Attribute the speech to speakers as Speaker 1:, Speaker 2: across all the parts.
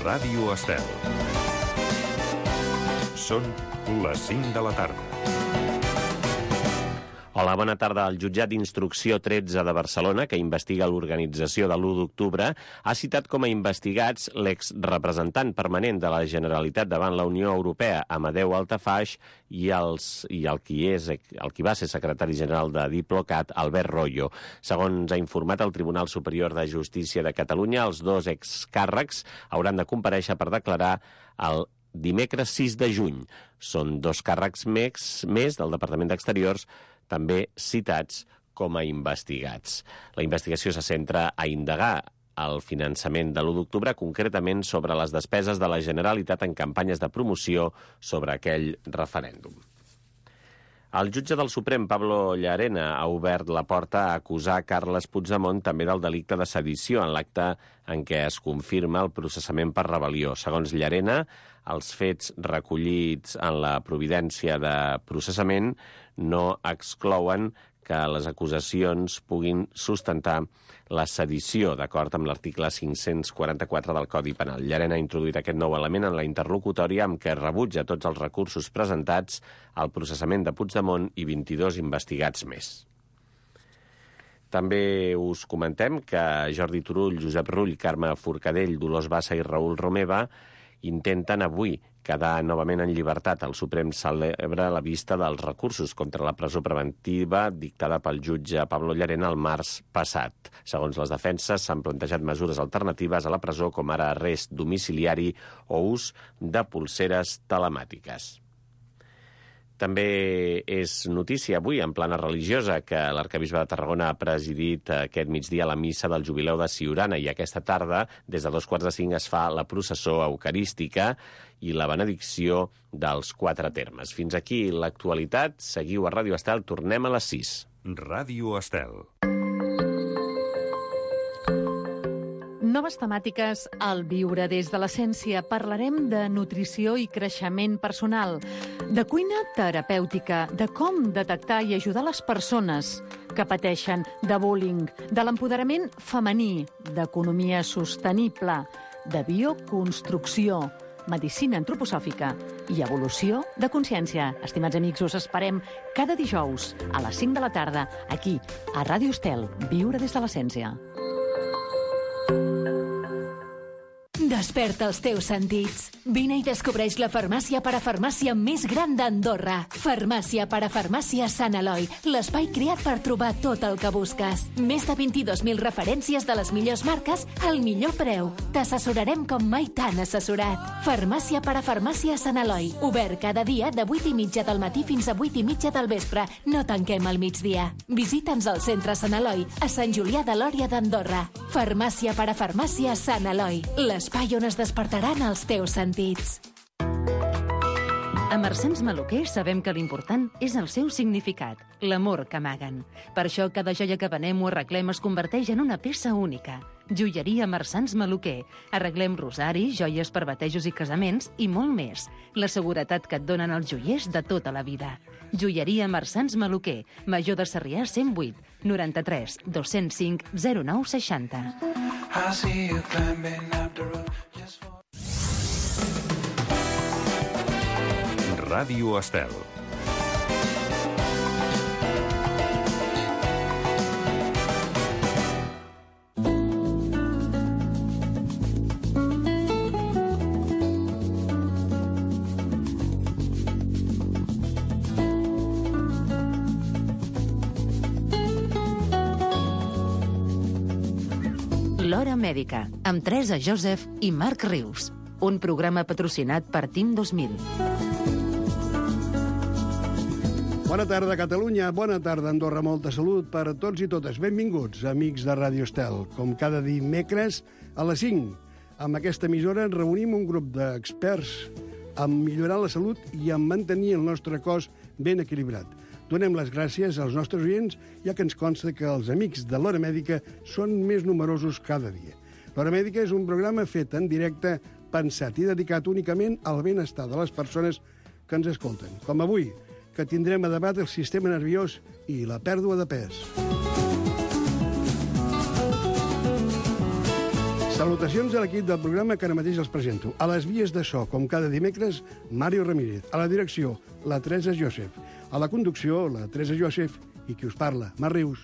Speaker 1: Ràdio Estel. Són les 5 de la tarda.
Speaker 2: Hola, bona tarda. El jutjat d'instrucció 13 de Barcelona, que investiga l'organització de l'1 d'octubre, ha citat com a investigats l'exrepresentant permanent de la Generalitat davant la Unió Europea, Amadeu Altafaix, i el qui va ser secretari general de Diplocat, Albert Royo. Segons ha informat el Tribunal Superior de Justícia de Catalunya, els dos excàrrecs hauran de comparèixer per declarar el dimecres 6 de juny. Són dos càrrecs més del Departament d'Exteriors, també citats com a investigats. La investigació se centra a indagar el finançament de l'1 d'octubre, concretament sobre les despeses de la Generalitat en campanyes de promoció sobre aquell referèndum. El jutge del Suprem, Pablo Llarena, ha obert la porta a acusar Carles Puigdemont també del delicte de sedició en l'acte en què es confirma el processament per rebel·lió. Segons Llarena, els fets recollits en la providència de processament no exclouen que les acusacions puguin sustentar la sedició, d'acord amb l'article 544 del Codi Penal. Llarena ha introduït aquest nou element en la interlocutòria amb què rebutja tots els recursos presentats al processament de Puigdemont i 22 investigats més. També us comentem que Jordi Turull, Josep Rull, Carme Forcadell, Dolors Bassa i Raül Romeva intenten avui quedar novament en llibertat. El Suprem celebra la vista dels recursos contra la presó preventiva dictada pel jutge Pablo Llarena el març passat. Segons les defenses, s'han plantejat mesures alternatives a la presó, com ara arrest domiciliari o ús de polseres telemàtiques. També és notícia avui, en plana religiosa, que l'arquebisbe de Tarragona ha presidit aquest migdia la missa del jubileu de Siurana i aquesta tarda, des de 4:45, es fa la processó eucarística i la benedicció dels 4 termes. Fins aquí l'actualitat. Seguiu a Ràdio Estel. Tornem a les 6.
Speaker 1: Ràdio Estel.
Speaker 3: Noves temàtiques al Viure des de l'Essència. Parlarem de nutrició i creixement personal, de cuina terapèutica, de com detectar i ajudar les persones que pateixen de bullying, de l'empoderament femení, d'economia sostenible, de bioconstrucció, medicina antroposòfica i evolució de consciència. Estimats amics, us esperem cada dijous a les 5 de la tarda, aquí, a Ràdio Estel, Viure des de l'Essència.
Speaker 4: Desperta els teus sentits. Vine i descobreix la farmàcia parafarmàcia més gran d'Andorra. Farmàcia parafarmàcia Sant Eloi, l'espai creat per trobar tot el que busques. Més de 22.000 referències de les millors marques al millor preu. T'assessorarem com mai t'han assessorat. Farmàcia parafarmàcia Sant Eloi, obert cada dia de 8:30 del matí fins a 8:30 del vespre. No tanquem al migdia. Visita'ns al centre Sant Eloi, a Sant Julià de Lòria d'Andorra. Farmàcia parafarmàcia Sant Eloi, l'espai on es despertaran els teus sentits.
Speaker 5: A Marsans Maluquer sabem que l'important és el seu significat, l'amor que amaguen. Per això cada joia que venem o arreglem es converteix en una peça única. Joieria Marsans Maluquer. Arreglem rosaris, joies per batejos i casaments i molt més. La seguretat que et donen els joiers de tota la vida. Joieria Marsans Maluquer. Major de Sarrià 108 93 205 09 60.
Speaker 1: Ràdio Estel.
Speaker 5: L'Hora Mèdica, amb Teresa Joseph i Marc Rius. Un programa patrocinat per Team 2000.
Speaker 6: Bona tarda, Catalunya. Bona tarda, Andorra. Molta salut per a tots i totes. Benvinguts, amics de Ràdio Estel. Com cada dimecres a les 5. Amb aquesta emissora ens reunim un grup d'experts en millorar la salut i en mantenir el nostre cos ben equilibrat. Donem les gràcies als nostres oients, ja que ens consta que els amics de l'Hora Mèdica són més numerosos cada dia. L'Hora Mèdica és un programa fet en directe, pensat i dedicat únicament al benestar de les persones que ens escolten. Com avui, que tindrem a debat el sistema nerviós i la pèrdua de pes. Salutacions a l'equip del programa que ara mateix els presento. A les vies de so, com cada dimecres, Mario Ramírez. A la direcció, la Teresa Joseph. A la conducció, la Teresa Joseph. I qui us parla, Marc Rius.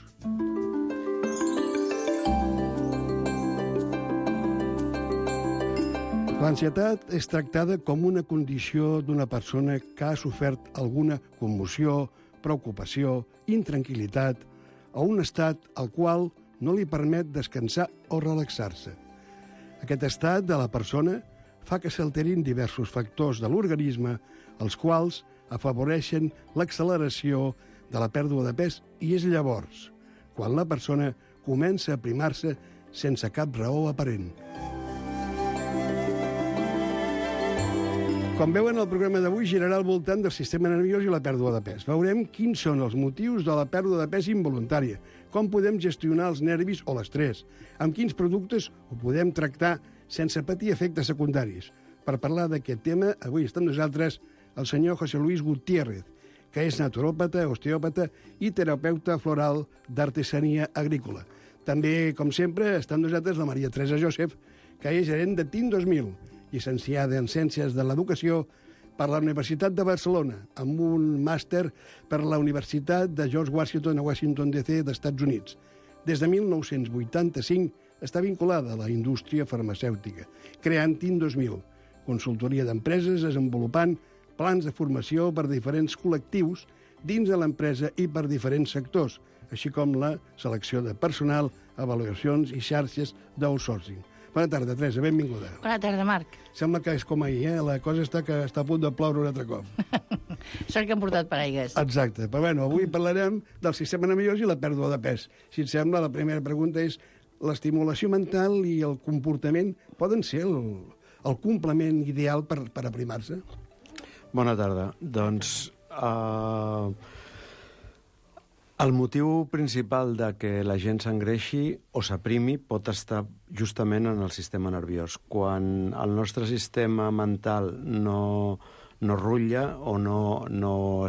Speaker 6: L'ansietat és tractada com una condició d'una persona que ha sofert alguna commoció, preocupació, intranquil·litat o un estat al qual no li permet descansar o relaxar-se. Aquest estat de la persona fa que s'alterin diversos factors de l'organisme, els quals afavoreixen l'acceleració de la pèrdua de pes i és llavors quan la persona comença a aprimar-se sense cap raó aparent. Com veuen, el programa d'avui girarà al voltant del sistema nerviós i la pèrdua de pes. Veurem quins són els motius de la pèrdua de pes involuntària, com podem gestionar els nervis o l'estrès, amb quins productes ho podem tractar sense patir efectes secundaris. Per parlar d'aquest tema, avui està amb nosaltres el senyor José Luis Gutiérrez, que és naturòpata, osteòpata i terapeuta floral d'artesania agrícola. També, com sempre, està amb nosaltres la Maria Teresa Joseph, que és gerent de TIN 2000, llicenciada en Ciències de l'Educació per la Universitat de Barcelona, amb un màster per la Universitat de George Washington a Washington, D.C. d'Estats Units. Des de 1985 està vinculada a la indústria farmacèutica, creant TIN 2000, consultoria d'empreses desenvolupant plans de formació per a diferents col·lectius dins de l'empresa i per diferents sectors, així com la selecció de personal, avaluacions i xarxes d'outsourcing. Bona tarda, Teresa, benvinguda.
Speaker 7: Bona tarda, Marc.
Speaker 6: Sembla que és com ahir, La cosa està a punt de ploure un altre cop.
Speaker 7: Sort que hem portat paraigues.
Speaker 6: Exacte. Però bueno, avui parlarem del sistema nerviós i la pèrdua de pes. Si et sembla, la primera pregunta és l'estimulació mental i el comportament poden ser el complement ideal per aprimar-se?
Speaker 8: Bona tarda. Doncs el motiu principal de que la gent s'engreixi o s'aprimi pot estar justament en el sistema nerviós. Quan el nostre sistema mental no rutlla o no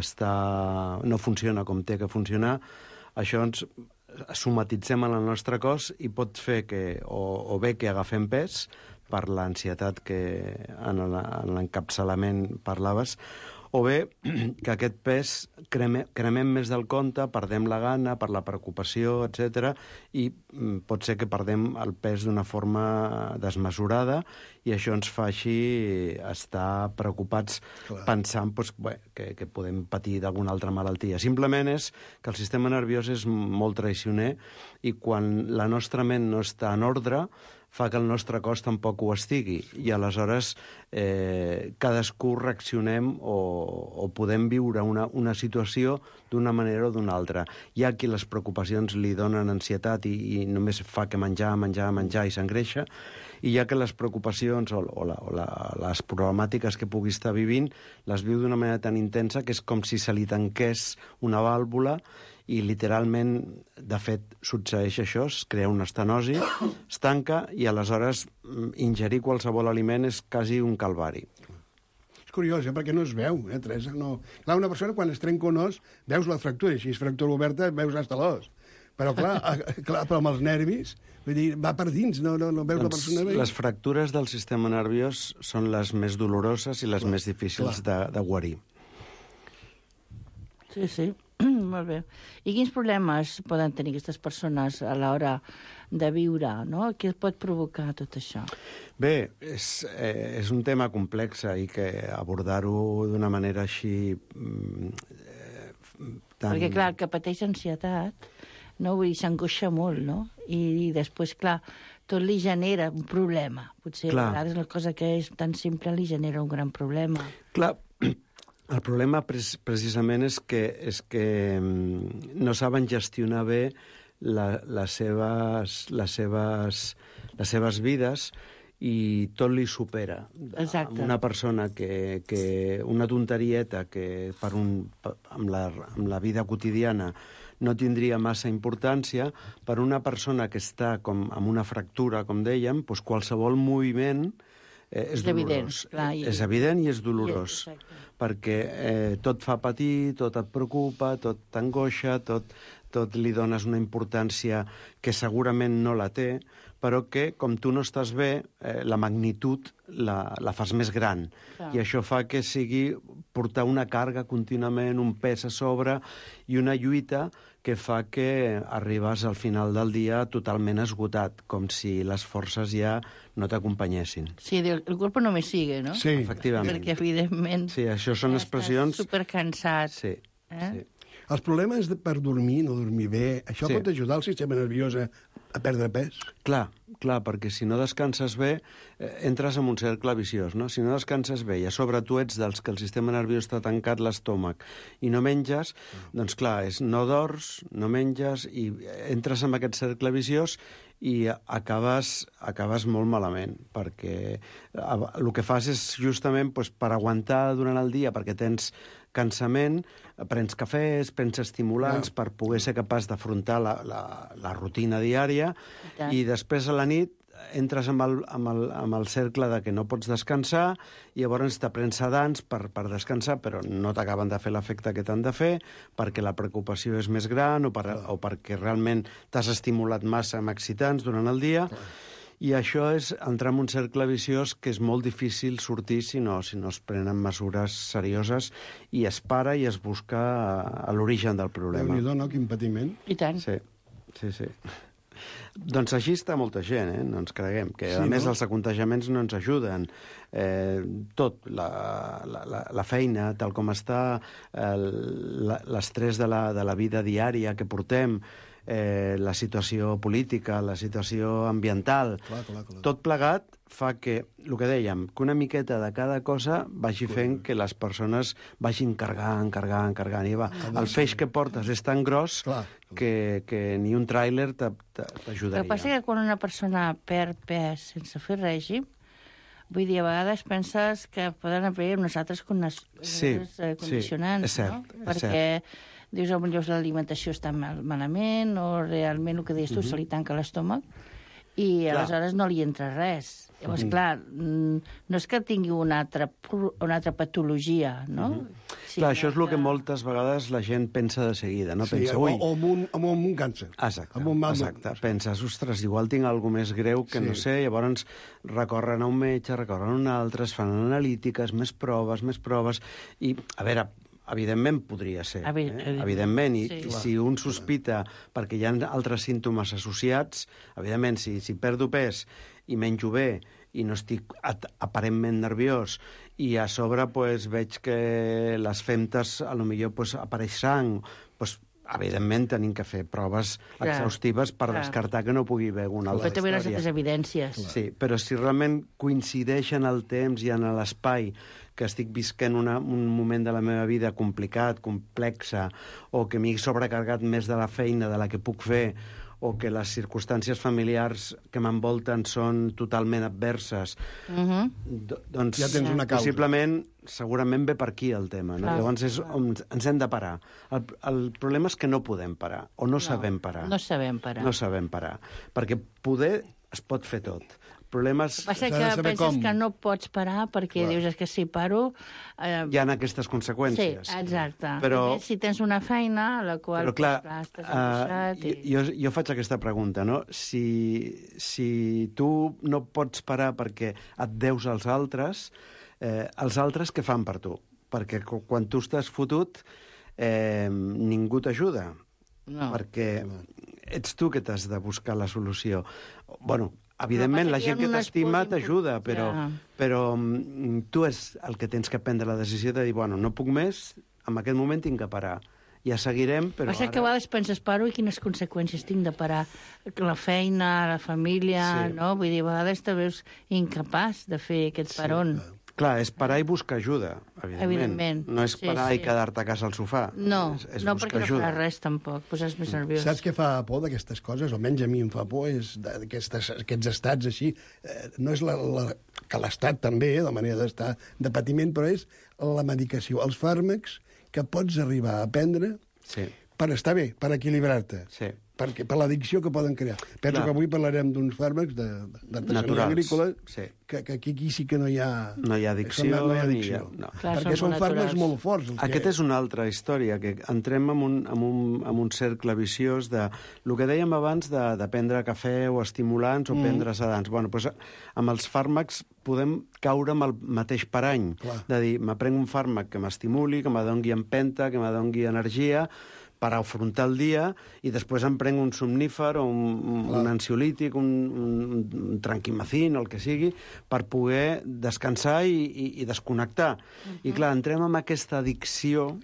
Speaker 8: funciona com té que funcionar, això ens somatitzem en el nostre cos i pot fer que o bé que agafem pes per l'ansietat que en l'encapçalament parlaves, o bé que aquest pes cremem més del compte, perdem la gana per la preocupació, etc. I pot ser que perdem el pes d'una forma desmesurada i això ens fa així estar preocupats pensant que podem patir d'alguna altra malaltia. Simplement és que el sistema nerviós és molt traicioner i quan la nostra ment no està en ordre fa que el nostre cos tampoc ho estigui i aleshores cadascú reaccionem o podem viure una situació d'una manera o d'una altra. Hi ha qui les preocupacions li donen ansietat i només fa que menjar i s'engreixa, i hi ha que les preocupacions o les problemàtiques que pugui estar vivint les viu d'una manera tan intensa que és com si se li tanqués una vàlvula i literalment, de fet, succeeix això, es crea una estenosi, es tanca i aleshores ingerir qualsevol aliment és quasi un calvari.
Speaker 6: És curiós, perquè no es veu, Teresa? No. Clar, una persona quan es trenca un os, veus la fractura, i si és fractura oberta veus hasta l'os. Però clar, però amb els nervis, vull dir, va per dins, no veus la persona bé.
Speaker 8: Les fractures del sistema nerviós són les més doloroses i les més difícils de guarir.
Speaker 7: Sí. Molt bé. I quins problemes poden tenir aquestes persones a l'hora de viure, no? Què pot provocar tot això?
Speaker 8: Bé, és un tema complex i que abordar-ho d'una manera així
Speaker 7: Perquè, clar, el que pateix ansietat, no? Vull dir, s'angoixa molt, no? I després, clar, tot li genera un problema. Potser a vegades la cosa que és tan simple li genera un gran problema.
Speaker 8: Clar, el problema precisament és que no saben gestionar bé les seves vides i tot li supera.
Speaker 7: Exacte.
Speaker 8: Una persona que una tonterieta que amb la vida quotidiana no tindria massa importància, per una persona que està amb una fractura, com dèiem, doncs qualsevol moviment és dolorós. És evident i és dolorós, perquè tot fa patir, tot et preocupa, tot t'angoixa, tot li dones una importància que segurament no la té, però que, com tu no estàs bé, la magnitud la fas més gran. I això fa que sigui portar una càrrega contínuament, un pes a sobre i una lluita que fa que arribes al final del dia totalment esgotat, com si les forces ja no t'acompanyessin.
Speaker 7: Sí, el cuerpo no me sigue, no?
Speaker 6: Sí.
Speaker 8: Efectivament.
Speaker 7: Perquè, evidentment,
Speaker 8: Sí, això són expressions...
Speaker 7: estàs supercansat.
Speaker 8: Sí, sí.
Speaker 6: Els problemes per dormir, no dormir bé, això pot ajudar el sistema nerviós a perdre pes?
Speaker 8: Clar, perquè si no descanses bé, entres en un cercle viciós, no? Si no descanses bé i a sobre tu ets dels que el sistema nerviós està tancat l'estómac i no menges, doncs clar, no dors, no menges i entres en aquest cercle viciós i acabes molt malament, perquè el que fas és justament per aguantar durant el dia, perquè tens cansament, prens cafès, prens estimulants per poder ser capaç d'afrontar la rutina diària i després a la nit entres amb el cercle de que no pots descansar i llavors te prens sedants per descansar, però no t'acaben de fer l'efecte que t'han de fer perquè la preocupació és més gran o perquè realment t'has estimulat massa amb excitants durant el dia. I això és entrar en un cercle viciós que és molt difícil sortir si no es prenen mesures serioses i es para i es busca a l'origen del problema.
Speaker 6: Déu-n'hi-do, no? Quin patiment.
Speaker 7: I tant.
Speaker 8: Sí. Doncs així està molta gent, no ens creguem, que a més els contagiaments no ens ajuden. Tot, la feina, tal com està, l'estrès de la vida diària que portem, la situació política, la situació ambiental, tot plegat fa que, el que dèiem, que una miqueta de cada cosa vagi fent que les persones vagin carregant. I el feix que portes és tan gros que ni un tràiler t'ajudaria.
Speaker 7: El que passa és que quan una persona perd pes sense fer règim, vull dir, a vegades penses que poden haver unes altres condicionants,
Speaker 8: és cert,
Speaker 7: no? Perquè dius, potser l'alimentació està malament o realment el que deies tu, se li tanca l'estómac i aleshores no li entra res. Llavors, clar, no és que tingui una altra patologia, no?
Speaker 8: Això és el que moltes vegades la gent pensa de seguida, no? Pensa, ui...
Speaker 6: O amb un càncer.
Speaker 8: Exacte. Penses, ostres, igual tinc alguna més greu que no sé, llavors recorren a un metge, recorren a un altre, es fan analítiques, més proves, i, a veure, evidentment podria ser, evidentment, i si un sospita perquè hi ha altres símptomes associats, evidentment, si perdo pes i menjo bé i no estic aparentment nerviós i a sobre veig que les femtes potser apareix sang, evidentment tenim que fer proves exhaustives per descartar que no pugui haver alguna altra història.
Speaker 7: Però també les evidències.
Speaker 8: Sí, però si realment coincideix en el temps i en l'espai que estic visquent un moment de la meva vida complicat, complexa, o que m'he sobrecarregat més de la feina de la que puc fer, o que les circumstàncies familiars que m'envolten són totalment adverses, doncs
Speaker 6: ja tens una causa.
Speaker 8: Possiblement, segurament ve per aquí el tema. No? Llavors és on ens hem de parar. El problema és que no podem parar, o no sabem parar.
Speaker 7: No sabem parar.
Speaker 8: Perquè poder es pot fer tot. Problemes...
Speaker 7: El que passa que penses que no pots parar perquè dius que si paro...
Speaker 8: Hi ha aquestes conseqüències.
Speaker 7: Sí, exacte.
Speaker 8: Però...
Speaker 7: Si tens una feina a la qual...
Speaker 8: Però clar, jo faig aquesta pregunta, no? Si tu no pots parar perquè et deus als altres, els altres què fan per tu? Perquè quan tu estàs fotut, ningú t'ajuda. No. Perquè ets tu que t'has de buscar la solució. Bueno, evidentment, la gent que t'estima t'ajuda, però tu és el que tens que prendre la decisió de dir, bueno, no puc més, en aquest moment tinc que parar. Ja seguirem, però
Speaker 7: ara... que a vegades penses, paro i quines conseqüències tinc de parar? La feina, la família, no? Vull dir, a vegades te veus incapaç de fer aquest paron.
Speaker 8: Clar, és parar i buscar ajuda, evidentment. No és parar i quedar-te a casa al sofà.
Speaker 7: No, perquè no faràs res, tampoc. Poses més nerviós.
Speaker 6: Saps què fa por d'aquestes coses? Almenys a mi em fa por, és aquests estats així. No és que l'estat també, la manera d'estar de patiment, però és la medicació, els fàrmacs que pots arribar a prendre per estar bé, per equilibrar-te. per l'addicció que poden crear. Penso que avui parlarem d'uns fàrmacs d'artesania agrícola, que aquí sí que no hi ha...
Speaker 8: No hi ha addicció.
Speaker 6: Perquè són fàrmacs molt forts.
Speaker 8: Aquesta és una altra història, que entrem en un cercle viciós de... El que dèiem abans de prendre cafè o estimulants o prendre sedants. Bueno, doncs amb els fàrmacs podem caure amb el mateix parany. De dir, m'aprenc un fàrmac que m'estimuli, que m'adongui empenta, que m'adongui energia, per afrontar el dia, i després em prenc un somnífer o un ansiolític, un tranquimacin, el que sigui, per poder descansar i desconnectar. I clar, entrem en aquesta addicció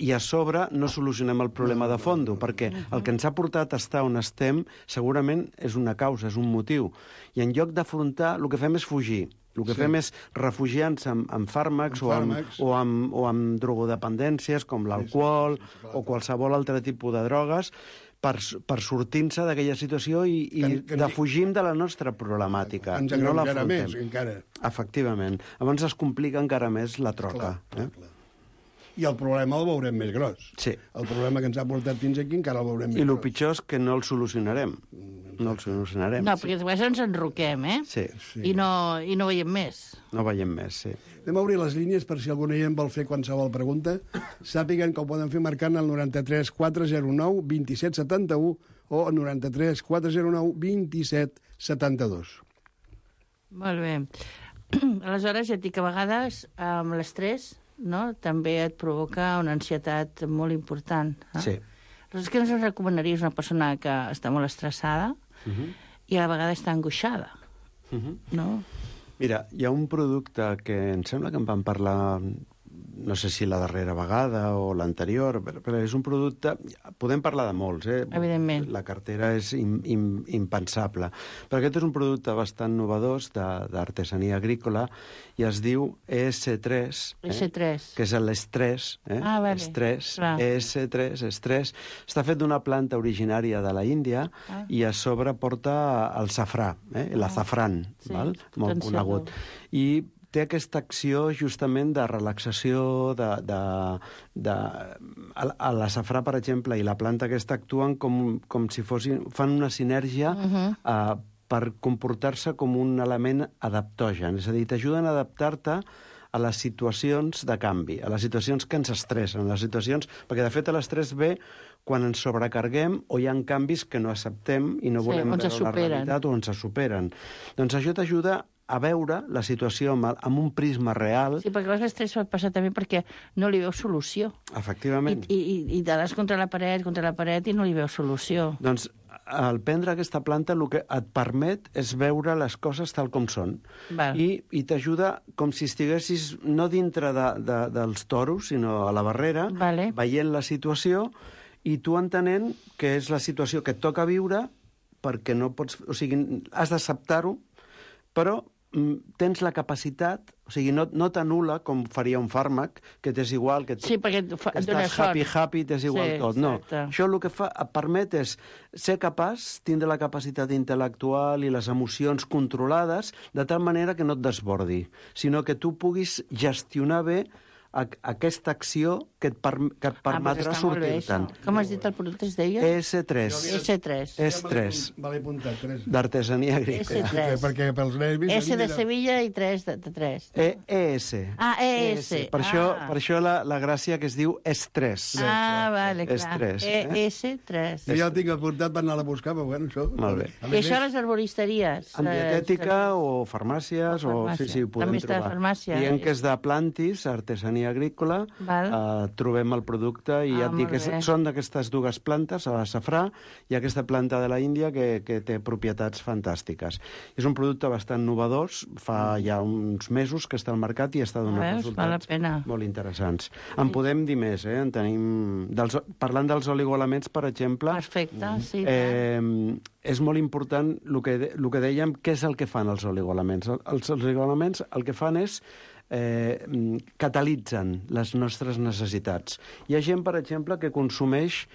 Speaker 8: i a sobre no solucionem el problema de fondo, perquè el que ens ha portat a estar on estem segurament és una causa, és un motiu. I en lloc d'afrontar, el que fem és fugir. El que fem és refugiar-nos en fàrmacs o amb drogodependències com l'alcohol o qualsevol altre tipus de drogues per sortir-se d'aquella situació i defugim de la nostra problememàtica.
Speaker 6: Ens encara més, encara.
Speaker 8: Efectivament. Llavors es complica encara més la troca.
Speaker 6: I el problema el veurem més gros.
Speaker 8: Sí.
Speaker 6: El problema que ens ha portat fins aquí encara el veurem més gros.
Speaker 8: I el pitjor és que no el solucionarem. No el solucionarem.
Speaker 7: No, perquè després ens enroquem,
Speaker 8: Sí.
Speaker 7: I no veiem més.
Speaker 8: No veiem més, sí.
Speaker 6: Anem a obrir les línies per si algun oient vol fer qualsevol pregunta. Sàpiguen que ho poden fer marcant el 93 409 27 71 o el 93 409 27 72.
Speaker 7: Molt bé. Aleshores, ja et dic que a vegades amb l'estrès també et provoca una ansietat molt important.
Speaker 8: Sí.
Speaker 7: Aleshores, què ens recomanaries una persona que està molt estressada i a la vegada està angoixada? No?
Speaker 8: Mira, hi ha un producte que em sembla que en vam parlar, no sé si la darrera vegada o l'anterior, però és un producte... Podem parlar de molts,
Speaker 7: Evidentment.
Speaker 8: La cartera és impensable. Però aquest és un producte bastant novedós d'artesania agrícola i es diu ES3.
Speaker 7: ES3.
Speaker 8: Que és l'estrès.
Speaker 7: Vale.
Speaker 8: Estrès. ES3, estrès. Està fet d'una planta originària de la Índia i a sobre porta el safrà, l'azafrán, molt conegut. I té aquesta acció justament de relaxació, a l'azafrà, per exemple, i la planta aquesta actuen com si fan una sinergia per comportar-se com un element adaptogen. És a dir, t'ajuden a adaptar-te a les situacions de canvi, a les situacions que ens estressen, perquè de fet l'estrès ve quan ens sobrecarguem o hi ha canvis que no acceptem i no volem veure la realitat o ens superen. Doncs això t'ajuda a veure la situació amb un prisma real.
Speaker 7: Sí, perquè l'estrès pot passar també perquè no li veus solució.
Speaker 8: Efectivament.
Speaker 7: I te das contra la paret i no li veus solució.
Speaker 8: Doncs al prendre aquesta planta el que et permet és veure les coses tal com són. I t'ajuda com si estiguessis no dintre dels toros, sinó a la barrera, veient la situació i tu entenent que és la situació que et toca viure perquè no pots... O sigui, has d'acceptar-ho, però tens la capacitat, o sigui, no t'anul·la com faria un fàrmac, que t'és igual, que estàs happy, t'és igual tot. No, això el que et permet és ser capaç, tindre la capacitat intel·lectual i les emocions controlades, de tal manera que no et desbordi, sinó que tu puguis gestionar bé aquesta acció que et permetrà sortir-te'n.
Speaker 7: Com has dit el producte, es deia?
Speaker 8: ES3.
Speaker 6: ES3. Me l'he apuntat, 3.
Speaker 8: D'artesania agrícola.
Speaker 7: ES3.
Speaker 6: Perquè pels nervis...
Speaker 7: S de Sevilla i 3 de 3.
Speaker 8: ES.
Speaker 7: ES.
Speaker 8: Per això la gràcia que es diu estrès.
Speaker 7: Vale, clar. ES3.
Speaker 6: Jo ja el tinc apuntat per anar a buscar, però bueno, això...
Speaker 8: Molt bé.
Speaker 7: I això a les arboristeries?
Speaker 8: En dietètica o farmàcies, sí, ho podem trobar.
Speaker 7: També està a farmàcia.
Speaker 8: Dient que és de plantis, artesania agrícola, trobem el producte i ja et dic que són d'aquestes dues plantes, el safrà i aquesta planta de la Índia que té propietats fantàstiques. És un producte bastant novedós, fa ja uns mesos que està al mercat i està donant resultats molt interessants. En podem dir més, en tenim... Parlant dels oligoelements, per exemple...
Speaker 7: Perfecte, sí.
Speaker 8: És molt important el que dèiem, què és el que fan els oligoelements. Els oligoelements el que fan és catalitzen les nostres necessitats. Hi ha gent, per exemple, que consumeix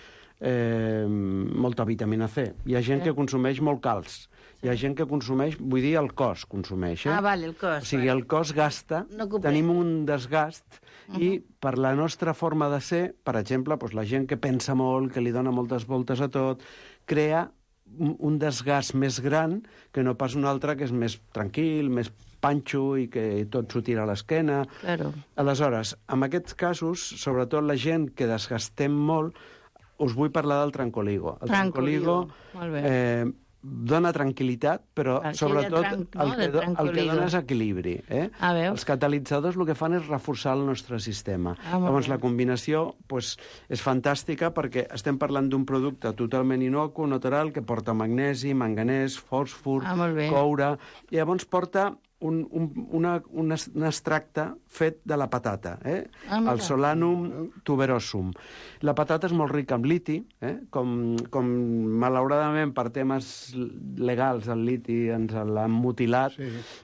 Speaker 8: molta vitamina C. Hi ha gent que consumeix molt calç. Hi ha gent que consumeix, vull dir, el cos consumeix.
Speaker 7: Vale, el cos.
Speaker 8: O sigui, el cos gasta, tenim un desgast, i per la nostra forma de ser, per exemple, la gent que pensa molt, que li dona moltes voltes a tot, crea un desgast més gran que no pas un altre que és més tranquil, més panxo i que tot s'ho tira a l'esquena.
Speaker 7: Claro.
Speaker 8: Aleshores, en aquests casos, sobretot la gent que desgastem molt, us vull parlar del Trancoligo. El Trancoligo dona tranquil·litat, però sobretot el que dona és equilibri. Els catalitzadors el que fan és reforçar el nostre sistema. Llavors la combinació és fantàstica perquè estem parlant d'un producte totalment inocu, natural, que porta magnesi, manganès, fòsfor, coure, i llavors porta un extracte fet de la patata, el Solanum tuberosum. La patata és molt rica en liti, com malauradament per temes legals el liti ens l'han mutilat,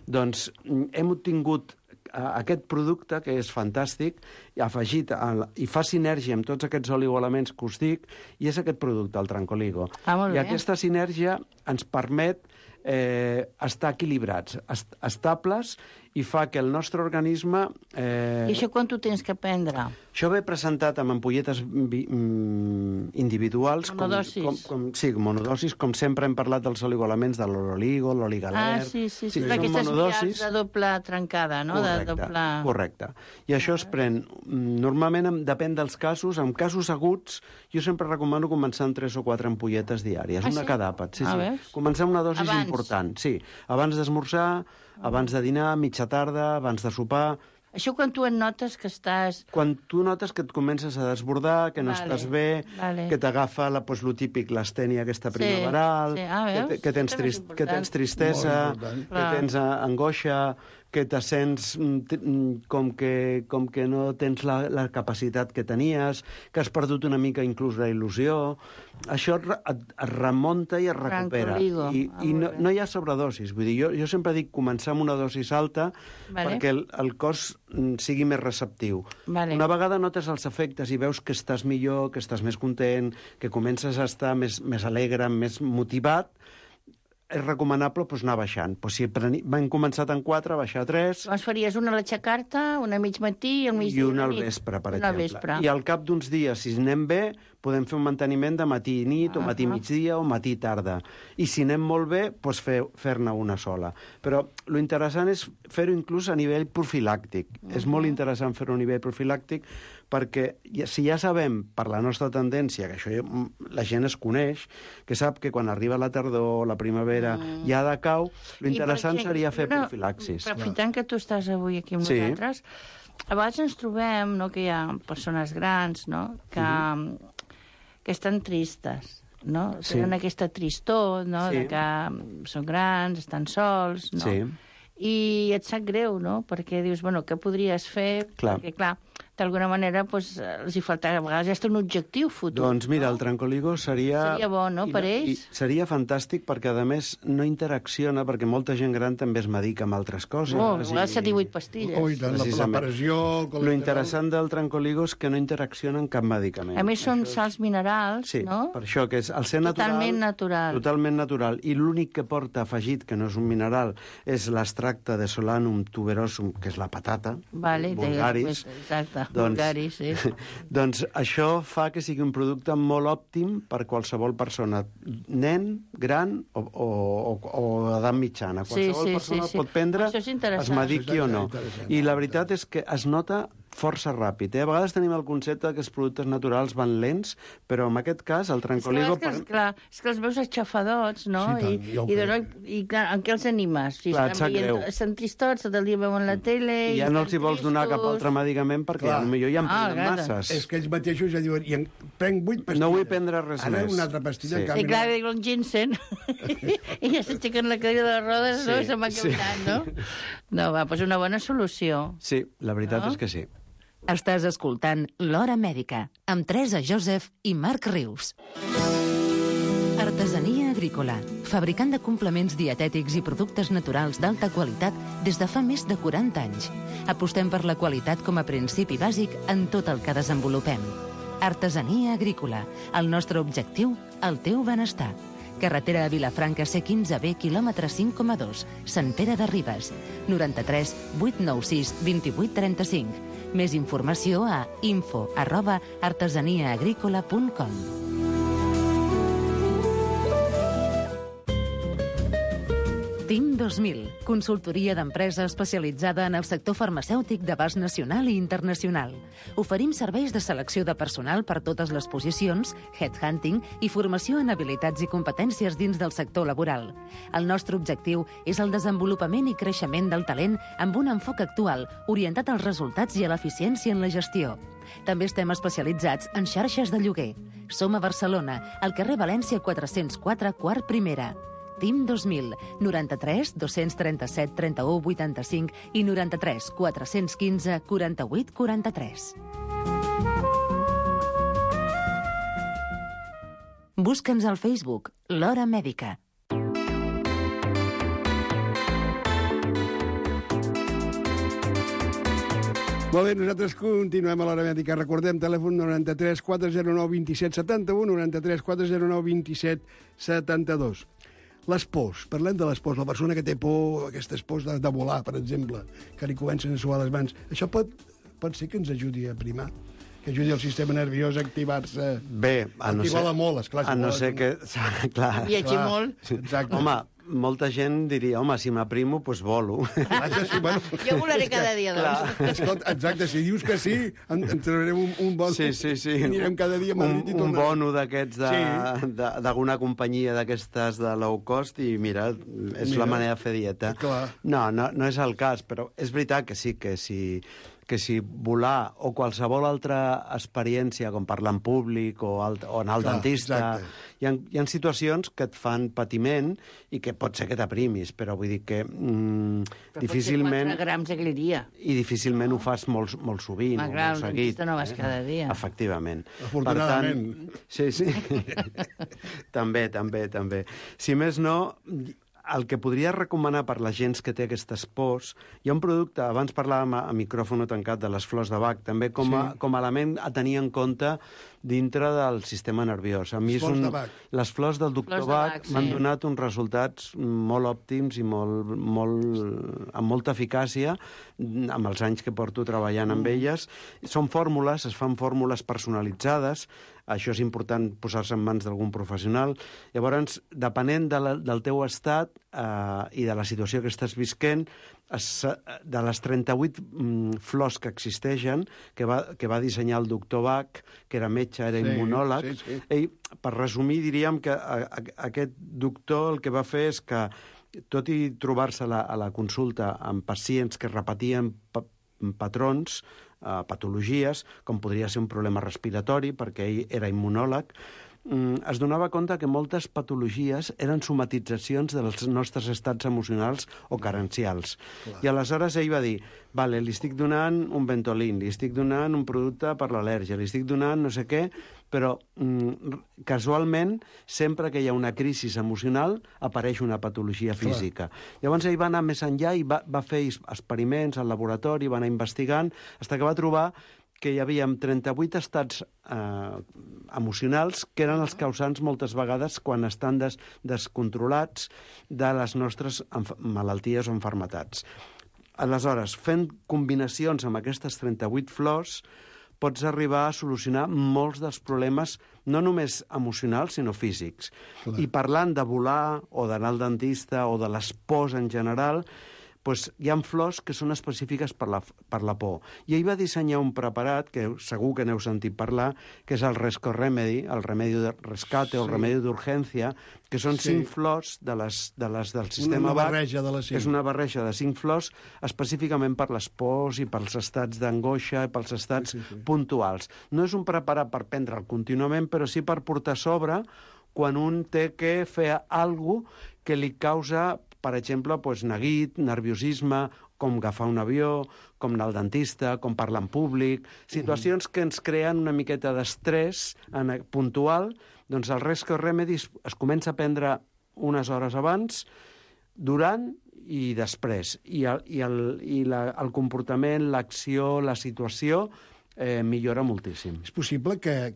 Speaker 8: doncs hem obtingut aquest producte, que és fantàstic, afegit i fa sinergia amb tots aquests oligoelements que us dic, i és aquest producte, el Trancoligo. I aquesta sinergia ens permet estar equilibrats, estables, i fa que el nostre organisme...
Speaker 7: I això quan tu tens que prendre?
Speaker 8: Això ve presentat amb ampolletes individuals.
Speaker 7: Monodosis.
Speaker 8: Sí, monodosis, com sempre hem parlat dels oligoelements de l'oligo, l'oligaler...
Speaker 7: Sí, aquestes vials de doble trencada, no?
Speaker 8: Correcte. I això es pren, normalment depèn dels casos, en casos aguts, jo sempre recomano començar amb 3 o 4 ampolletes diàries, una cada àpat. Començar una dosi important, sí. Abans d'esmorzar, abans de dinar, mitja tarda, abans de sopar...
Speaker 7: Això quan tu et notes que estàs...
Speaker 8: Quan tu notes que et comences a desbordar, que no estàs bé, que t'agafa lo típic, l'astènia aquesta primaveral, que tens tristesa, que tens angoixa, que te sents com que no tens la capacitat que tenies, que has perdut una mica inclús la il·lusió. Això et remunta i es recupera. I no hi ha sobredosis. Vull dir, jo sempre dic començar amb una dosis alta perquè el cos sigui més receptiu. Una vegada notes els efectes i veus que estàs millor, que estàs més content, que comences a estar més alegre, més motivat, és recomanable anar baixant. Si hem començat en 4, baixar a 3...
Speaker 7: Llavors faries una a l'aixecar-te, una a mig matí i al migdia.
Speaker 8: I una al vespre, per exemple. I al cap d'uns dies, si anem bé, podem fer un manteniment de matí i nit, o matí migdia, o matí tarda. I si anem molt bé, fer-ne una sola. Però l'interessant és fer-ho inclús a nivell profilàctic. És molt interessant fer-ho a nivell profilàctic perquè si ja sabem, per la nostra tendència, que això la gent es coneix, que sap que quan arriba la tardor, la primavera, ja decau, l'interessant seria fer profilaxis.
Speaker 7: Aprofitant que tu estàs avui aquí amb nosaltres, a vegades ens trobem que hi ha persones grans que estan tristes, no? Tenen aquesta tristor, no? De que són grans, estan sols, no? I et sap greu, no? Perquè dius, què podries fer? Perquè, clar, d'alguna manera els hi falta, a vegades ja està un objectiu futur.
Speaker 8: Doncs mira, el Trancoligo seria
Speaker 7: bo, no?, per ells.
Speaker 8: Seria fantàstic perquè, a més, no interacciona, perquè molta gent gran també es medica amb altres coses.
Speaker 7: Les 7 i 8 pastilles.
Speaker 6: La pressió...
Speaker 8: Lo interessant del Trancoligo és que no interacciona amb cap medicament.
Speaker 7: A més, són sals minerals, no?
Speaker 8: Sí, per això, que és el ser natural... Totalment natural. I l'únic que porta afegit, que no és un mineral, és l'extracte de Solanum tuberosum, que és la patata, vulgaris.
Speaker 7: Exacte.
Speaker 8: Doncs això fa que sigui un producte molt òptim per qualsevol persona, nen, gran o edat mitjana. Qualsevol persona pot prendre, es mediqui o no. I la veritat és que es nota força ràpid. A vegades tenim el concepte que els productes naturals van lents, però en aquest cas el Trancoligo...
Speaker 7: És que els veus aixafadots, no? I clar, en què els animes?
Speaker 8: Clar, et sap greu.
Speaker 7: Estan tristots, tot el dia veuen la tele...
Speaker 8: I ja no els hi vols donar cap altre medicament perquè potser ja en prenen masses.
Speaker 6: És que ells mateixos ja diuen, i prenc 8 pastilles.
Speaker 8: No vull prendre res més.
Speaker 6: Ara una altra pastilla.
Speaker 7: I clar, diuen ginseng, i ja s'aixequen la cadira de les rodes, no? I se'n va caminant, no? No, doncs una bona solució.
Speaker 8: Sí, la veritat és que sí.
Speaker 5: Estàs escoltant L'Hora Mèdica, amb Teresa Joseph i Marc Rius. Artesania Agrícola, fabricant de complements dietètics i productes naturals d'alta qualitat des de fa més de 40 anys. Apostem per la qualitat com a principi bàsic en tot el que desenvolupem. Artesania Agrícola, el nostre objectiu, el teu benestar. Carretera a Vilafranca C15B, quilòmetre 5,2, Sant Pere de Ribes, 93 896 2835. Més informació a info@artesaniaagricola.com. 2000, consultoria d'empresa especialitzada en el sector farmacèutic d'abast nacional i internacional. Oferim serveis de selecció de personal per totes les posicions, headhunting i formació en habilitats i competències dins del sector laboral. El nostre objectiu és el desenvolupament i creixement del talent amb un enfoc actual, orientat als resultats i a l'eficiència en la gestió. També estem especialitzats en xarxes de lloguer. Som a Barcelona, al carrer València 404, quart primera. TIM 2000, 93 237 31 85 i 93 415 48 43. Busca'ns al Facebook, l'Hora Mèdica.
Speaker 6: Molt bé, nosaltres continuem a l'Hora Mèdica. Recordem, telèfon 93 409 27 71, 93 409 27 72. Les pors, parlem de les pors. La persona que té por, aquestes pors de volar, per exemple, que li comencen a suar les mans, això pot ser que ens ajudi a primar? Que ajudi el sistema nerviós a activar-se?
Speaker 8: Bé, a no ser...
Speaker 6: Vola molt, esclar.
Speaker 8: A no ser que... Clar.
Speaker 7: Viatgi molt.
Speaker 6: Exacte.
Speaker 8: Home, molta gent diria, home, si m'aprimo, doncs volo.
Speaker 7: Jo volaré cada dia, doncs.
Speaker 6: Escolta, exacte, si dius que sí, ens trobarem un bono.
Speaker 8: Sí.
Speaker 6: I anirem cada dia a Madrid i tornarem.
Speaker 8: Un bono d'aquests d'alguna companyia d'aquestes de low cost i mira, és la manera de fer dieta.
Speaker 6: Clar.
Speaker 8: No és el cas, però és veritat que sí, que si volar o qualsevol altra experiència, com parlar en públic o anar al dentista, hi ha situacions que et fan patiment i que pot ser que t'aprimis, però vull dir que difícilment...
Speaker 7: 4 grams al dia.
Speaker 8: I difícilment ho fas molt sovint,
Speaker 7: molt seguit.
Speaker 8: Al dentista
Speaker 7: no vas cada dia.
Speaker 8: Efectivament.
Speaker 6: Afortunadament.
Speaker 8: Sí. també. Si més no... El que podria recomanar per la gent que té aquestes pors, hi ha un producte, abans parlàvem a micròfon tancat de les flors de Bach, també com a element a tenir en compte dintre del sistema nerviós. A mi les flors del doctor Bach m'han donat uns resultats molt òptims i amb molta eficàcia amb els anys que porto treballant amb elles. Són fórmules, es fan fórmules personalitzades, això és important posar-se en mans d'algun professional. Llavors, depenent del teu estat i de la situació que estàs visquent, de les 38 flors que existeixen, que va dissenyar el doctor Bach, que era metge, era immunòleg, ell, per resumir, diríem que aquest doctor el que va fer és que, tot i trobar-se a la consulta amb pacients que repetien patrons, patologies, com podria ser un problema respiratori, perquè ell era immunòleg, es donava compte que moltes patologies eren somatitzacions dels nostres estats emocionals o carencials. Clar. I aleshores ell va dir, vale, li estic donant un Ventolin, li estic donant un producte per l'al·lèrgia, li estic donant no sé què, però casualment, sempre que hi ha una crisi emocional, apareix una patologia física. Clar. Llavors ell va anar més enllà i va fer experiments al laboratori, va anar investigant, fins que va trobar que hi havia 38 estats emocionals que eren els causants moltes vegades quan estan descontrolats de les nostres malalties o malalties. Aleshores, fent combinacions amb aquestes 38 flors, pots arribar a solucionar molts dels problemes, no només emocionals, sinó físics. Clar. I parlant de volar, o d'anar al dentista, o de les pors en general, doncs hi ha flors que són específiques per la por. I ell va dissenyar un preparat, que segur que n'heu sentit parlar, que és el Rescue Remedy, el remedi de rescate o el remedi d'urgència, que són 5 flors del sistema Bach. És una barreja de 5 flors específicament per les pors i pels estats d'angoixa i pels estats puntuals. No és un preparat per prendre'l contínuament, però sí per portar a sobre quan un té que fer alguna cosa que li causa, per exemple, neguit, nerviosisme, com agafar un avió, com anar al dentista, com parlar en públic, situacions que ens creen una miqueta d'estrès puntual, doncs el Rescue Remedy es comença a prendre unes hores abans, durant i després. I el comportament, l'acció, la situació millora moltíssim.
Speaker 6: És possible que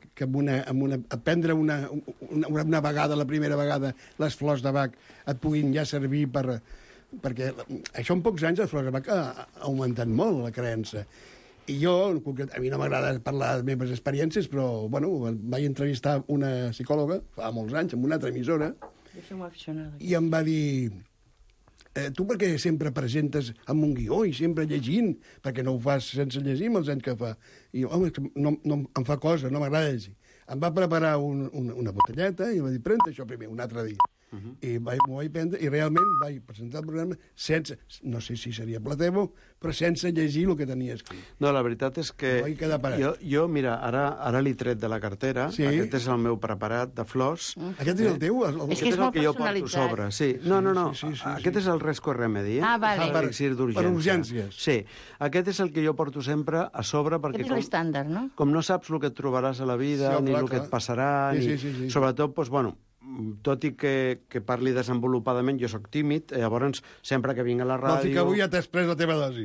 Speaker 6: prendre una vegada, la primera vegada, les flors de Bach et puguin ja servir perquè això en pocs anys les flors de Bach ha augmentat molt la creença. I jo, a mi no m'agrada parlar de les meves experiències, però vaig entrevistar una psicòloga fa molts anys, en una altra emissora, i em va dir tu per què sempre presentes amb un guió i sempre llegint? Perquè no ho fas sense llegir amb els anys que fa? I, home, no em fa cosa, no m'agrada llegir. Em va preparar una botelleta i em va dir, pren això primer, un altre dia. I m'ho vaig prendre i realment vaig presentar el programa sense, no sé si seria placebo, però sense llegir el que tenia escrit.
Speaker 8: No, la veritat és que jo mira, ara l'he tret de la cartera, aquest és el meu preparat de flors.
Speaker 6: Aquest és el teu?
Speaker 7: És que és molt personalitzat.
Speaker 8: Sí. No, aquest és el Resco Remedy,
Speaker 7: vale.
Speaker 6: Per urgències.
Speaker 8: Sí, aquest és el que jo porto sempre a sobre, perquè
Speaker 7: aquest és l'estàndard, no?
Speaker 8: Com no saps el que et trobaràs a la vida, ni el que et passarà, sobretot, doncs, bueno, tot i que parli desenvolupadament, jo sóc tímid, llavors sempre que vinc a la ràdio...
Speaker 6: Vols dir que avui ja t'has pres la teva dosi?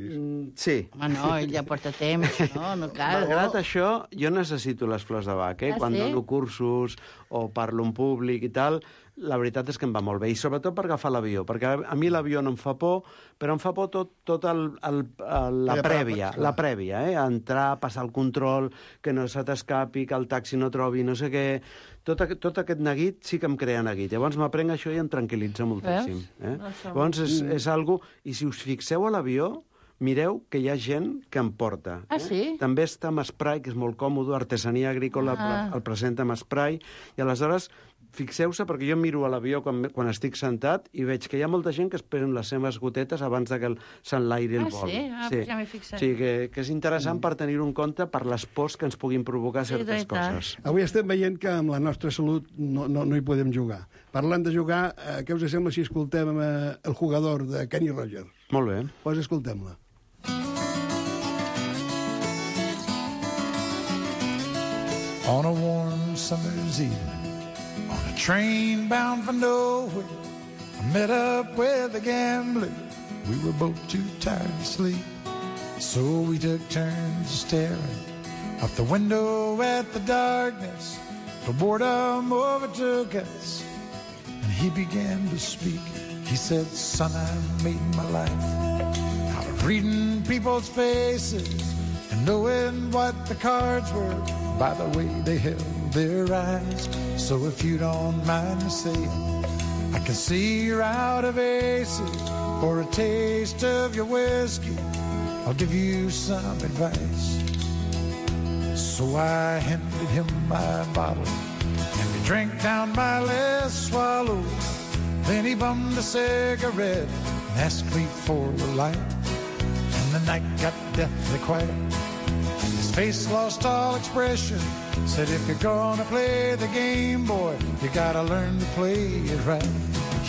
Speaker 8: Sí.
Speaker 7: Home, no, ell ja porta temps, no cal.
Speaker 8: Malgrat això, jo necessito les flors de Bach, quan dono cursos o parlo en públic i tal, la veritat és que em va molt bé, i sobretot per agafar l'avió, perquè a mi l'avió no em fa por, però em fa por tot la prèvia, entrar, passar el control, que no se t'escapi, que el taxi no trobi no sé què... Tot aquest neguit sí que em crea neguit. Llavors m'aprenc això i em tranquil·litza moltíssim. Llavors és algo... I si us fixeu a l'avió, mireu que hi ha gent que em porta.
Speaker 7: Ah, sí?
Speaker 8: També està amb spray, que és molt còmode, artesania agrícola el presenta amb spray, i aleshores fixeu-se, perquè jo miro a l'avió quan estic sentat i veig que hi ha molta gent que esperen les seves gotetes abans que s'enlairi el vol.
Speaker 7: Sí? Ja m'he fixat.
Speaker 8: Sí, que és interessant per tenir-ho en compte per les pors que ens puguin provocar certes coses.
Speaker 6: Avui estem veient que amb la nostra salut no hi podem jugar. Parlant de jugar, què us sembla si escoltem el jugador de Kenny Rogers?
Speaker 8: Molt bé.
Speaker 6: Doncs escoltem-la.
Speaker 9: On a warm summer's evening, on a train bound for nowhere, I met up with a gambler. We were both too tired to sleep, so we took turns staring out the window at the darkness. Till boredom overtook us, and he began to speak. He said, son, I made my life out of reading people's faces and knowing what the cards were by the way they held their eyes. So if you don't mind me saying, I can see you're out of aces. For a taste of your whiskey, I'll give you some advice. So I handed him my bottle, and he drank down my last swallow. Then he bummed a cigarette and asked me for a light. And the night got deathly quiet. His face lost all expression. Said, if you're gonna play the game, boy, you gotta learn to play it right.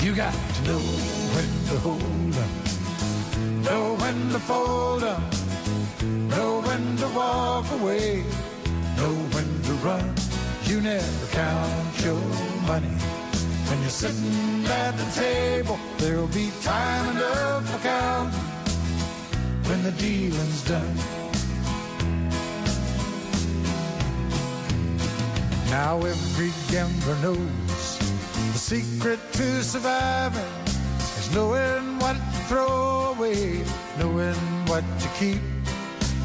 Speaker 9: You got to know when to hold 'em, know when to fold 'em, know when to walk away, know when to run. You never count your money. When you're sitting at the table, there'll be time enough for counting when the dealing's done. Now every gambler knows the secret to surviving is knowing what to throw away, knowing what to keep.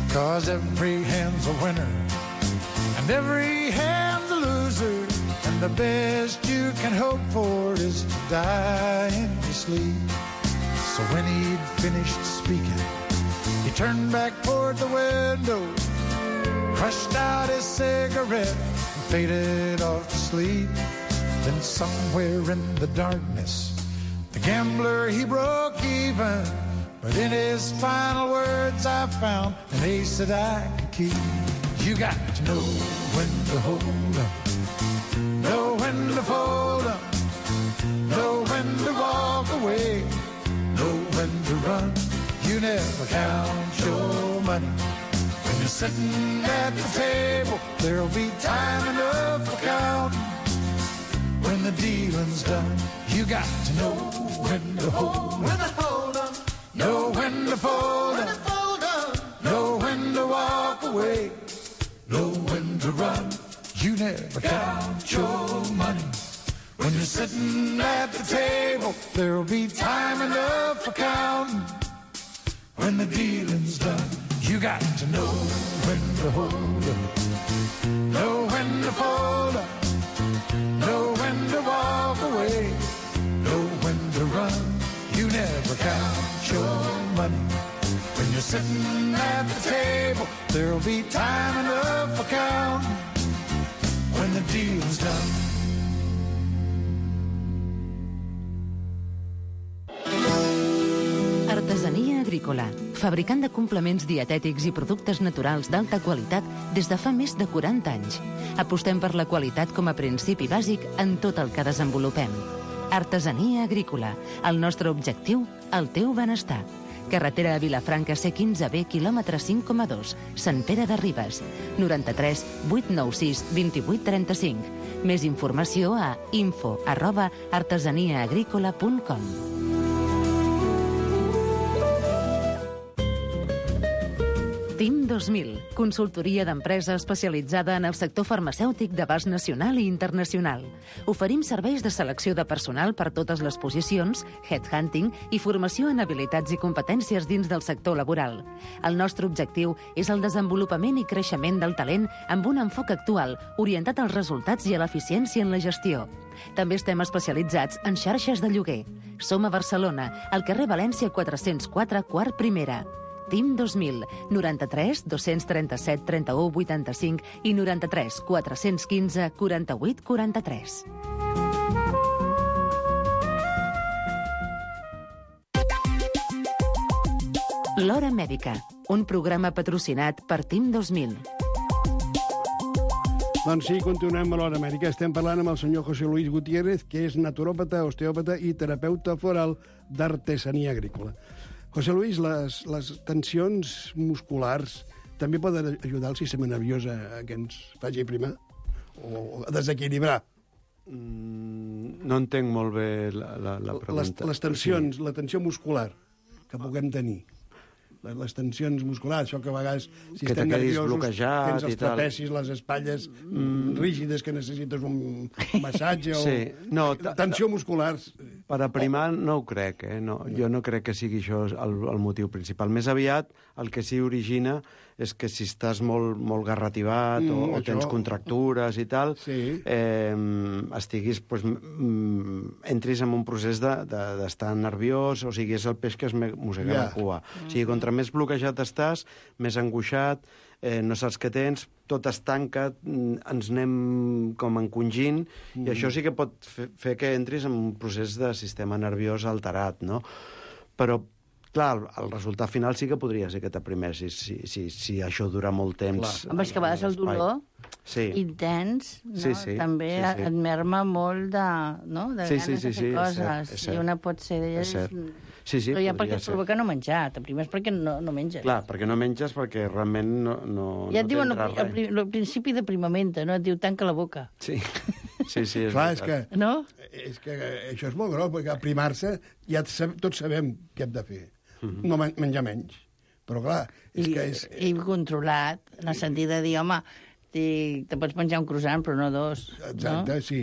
Speaker 9: 'Cause every hand's a winner and every hand's a loser, and the best you can hope for is to die in your sleep. So when he'd finished speaking, he turned back toward the window, crushed out his cigarette, faded off to sleep. Then somewhere in the darkness, the gambler, he broke even. But in his final words, I found an ace that I could keep. You got to know when to hold 'em, know when to fold 'em, know when to walk away, know when to run. You never count your money. When you're sitting at the table, there'll be time enough for counting when the dealing's done. You got to know when to hold 'em, know when to fold 'em, know when to walk away, know when to run. You never count your money. When you're sitting at the table, there'll be time enough for counting when the dealing's done. You got to know when to hold 'em, know when to fold 'em, know when to walk away, know when to run. You never count your money. When you're sitting at the table, there'll be time enough for counting when the deal's done.
Speaker 5: Artesania agrícola, fabricant de complements dietètics i productes naturals d'alta qualitat des de fa més de 40 anys. Apostem per la qualitat com a principi bàsic en tot el que desenvolupem. Artesania agrícola, el nostre objectiu, el teu benestar. Carretera a Vilafranca C15B, quilòmetre 5,2, Sant Pere de Ribes. 93 896 28 35. Més informació a info@artesaniaagricola.com. TIM 2000, consultoria d'empresa especialitzada en el sector farmacèutic d'abast nacional i internacional. Oferim serveis de selecció de personal per totes les posicions, headhunting i formació en habilitats i competències dins del sector laboral. El nostre objectiu és el desenvolupament i creixement del talent amb un enfoc actual, orientat als resultats i a l'eficiència en la gestió. També estem especialitzats en xarxes de lloguer. Som a Barcelona, al carrer València 404, quart primera. TIM 2000, 93 237 31 85 i 93 415 48 43. L'Hora Mèdica, un programa patrocinat per TIM 2000.
Speaker 6: Doncs sí, continuem a l'Hora Mèdica. Estem parlant amb el senyor José Luis Gutiérrez, que és naturòpata, osteòpata i terapeuta floral d'artesania agrícola. José Luis, les tensions musculars també poden ajudar el sistema nerviós a que ens faci primar o a desequilibrar?
Speaker 8: No entenc molt bé la pregunta.
Speaker 6: Les tensions, la tensió muscular que puguem tenir. Les tensions musculars, això que a vegades, si estem nerviosos, tens els trapecis, les espatlles rígides que necessites un massatge o...
Speaker 8: Sí. No,
Speaker 6: tensió muscular.
Speaker 8: Per aprimar no ho crec, No. Jo no crec que sigui això el motiu principal. Més aviat, el que s'hi origina és que si estàs molt garrativat o tens contractures i tal, estiguis, entris en un procés d'estar nerviós, o sigui, és el peix que es mossega la cua. O sigui, contra més bloquejat estàs, més angoixat, no saps què tens, tot es tanca, ens anem com encongint, i això sí que pot fer que entris en un procés de sistema nerviós alterat, no? Però, clar, el resultat final sí que podria ser que t'aprimessis, si això dura molt temps.
Speaker 7: Home, és que a vegades el dolor intens també et merma molt de ganes de fer coses. I una pot ser d'elles...
Speaker 8: Sí,
Speaker 7: però ja perquè et provoca no menjar. T'aprimes perquè no menges.
Speaker 8: Clar, perquè no menges, perquè realment no
Speaker 7: ja et diuen al principi d'aprimament, no? Et diu tanca la boca.
Speaker 8: Sí, és
Speaker 6: clar,
Speaker 8: veritat.
Speaker 6: És que això és molt gros, perquè aprimar-se ja tots sabem què hem de fer. No menjar menys. Però clar, és que és...
Speaker 7: I controlat, en el sentit de dir, home, te pots menjar un croissant, però no dos.
Speaker 6: Exacte, sí.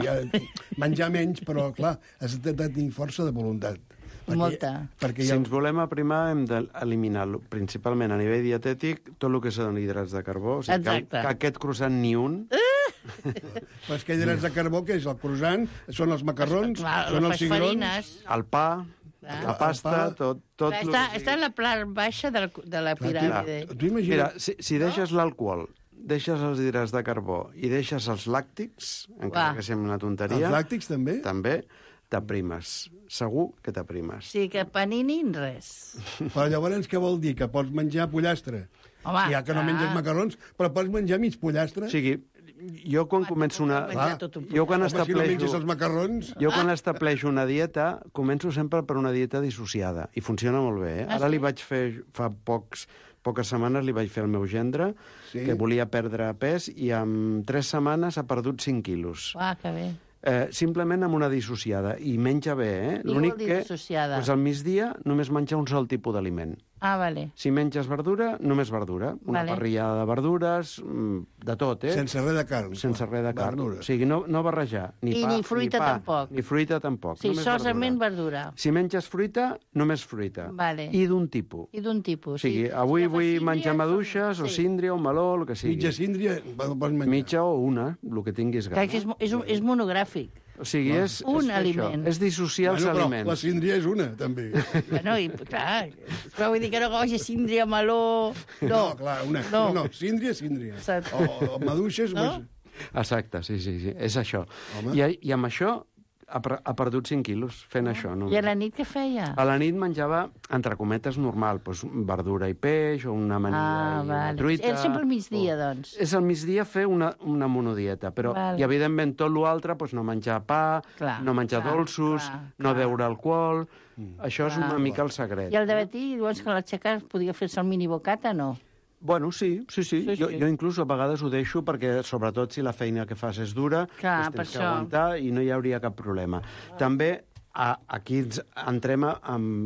Speaker 6: Menjar menys, però clar, has de tenir força de voluntat.
Speaker 7: Molta.
Speaker 8: Si ens volem aprimar, hem d'eliminar, principalment a nivell dietètic, tot el que són hidrats de carbó. O sigui, que aquest croissant ni un...
Speaker 6: Però és que hidrats de carbó, que és el croissant, són els macarrons, són els cigrons...
Speaker 8: El pa, la pasta, tot...
Speaker 7: Està en la part baixa de la piràmide.
Speaker 8: Mira, si deixes l'alcohol, deixes els hidrats de carbó i deixes els làctics, encara que sembla una tonteria...
Speaker 6: Els làctics també?
Speaker 8: També. T'aprimes. Segur que t'aprimes.
Speaker 7: Sí, que panini, res.
Speaker 6: Però llavors què vol dir? Que pots menjar pollastre? Home, ja que no menges macarrons, però pots menjar mig pollastre?
Speaker 8: O sigui, jo quan començo una... Jo quan estableixo una dieta, començo sempre per una dieta dissociada, i funciona molt bé, Ara li vaig fer, fa poques setmanes li vaig fer al meu gendre, que volia perdre pes, i en 3 setmanes ha perdut 5 quilos.
Speaker 7: Que bé.
Speaker 8: Simplement amb una dissociada, i menja bé, L'únic que al migdia només menja un sol tipus d'aliment.
Speaker 7: Vale.
Speaker 8: Si menges verdura, només verdura. Una parrillada de verdures, de tot,
Speaker 6: Sense res de carn.
Speaker 8: Sense res de carn. O sigui, no barrejar. Ni pa,
Speaker 7: ni fruita tampoc.
Speaker 8: Ni fruita tampoc.
Speaker 7: Sí, solament verdura.
Speaker 8: Si menges fruita, només fruita.
Speaker 7: Vale.
Speaker 8: I d'un tipus.
Speaker 7: O
Speaker 8: sigui, avui vull menjar maduixes, o síndria, o meló, el que sigui.
Speaker 6: Mitja síndria pots menjar.
Speaker 8: Mitja o una, el que tinguis gana.
Speaker 7: És monogràfic.
Speaker 8: O sigui, és
Speaker 7: aliment.
Speaker 8: És dissociar els aliments.
Speaker 6: Però la síndria és una, també.
Speaker 7: Bueno, i clar, però vull dir que no cogi síndria, meló...
Speaker 6: No, clar, una. No, síndria. O maduixes...
Speaker 7: No?
Speaker 8: Exacte, sí, és això. I amb això ha perdut 5 quilos fent això. No?
Speaker 7: I a la nit què feia?
Speaker 8: A la nit menjava, entre cometes, normal, doncs verdura i peix, o una amanida i una truita.
Speaker 7: És sempre al migdia, doncs.
Speaker 8: És al migdia fer una monodieta, però, i evidentment, tot l'altre, doncs no menjar pa, no menjar dolços, no beure alcohol... Això és una mica el secret.
Speaker 7: I al dematí, dius que a l'aixecar podia fer-se el mini bocata, no?
Speaker 8: Bueno, sí. Jo inclús a vegades ho deixo perquè, sobretot, si la feina que fas és dura, tens que aguantar i no hi hauria cap problema. També aquí entrem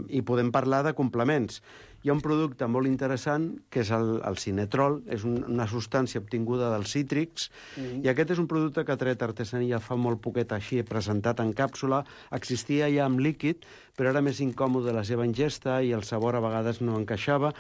Speaker 8: i podem parlar de complements. Hi ha un producte molt interessant, que és el cinetrol, és una substància obtinguda dels cítrics, i aquest és un producte que ha tret Artesania fa molt poquet així, presentat en càpsula, existia ja en líquid, però era més incòmode la seva ingesta i el sabor a vegades no encaixava,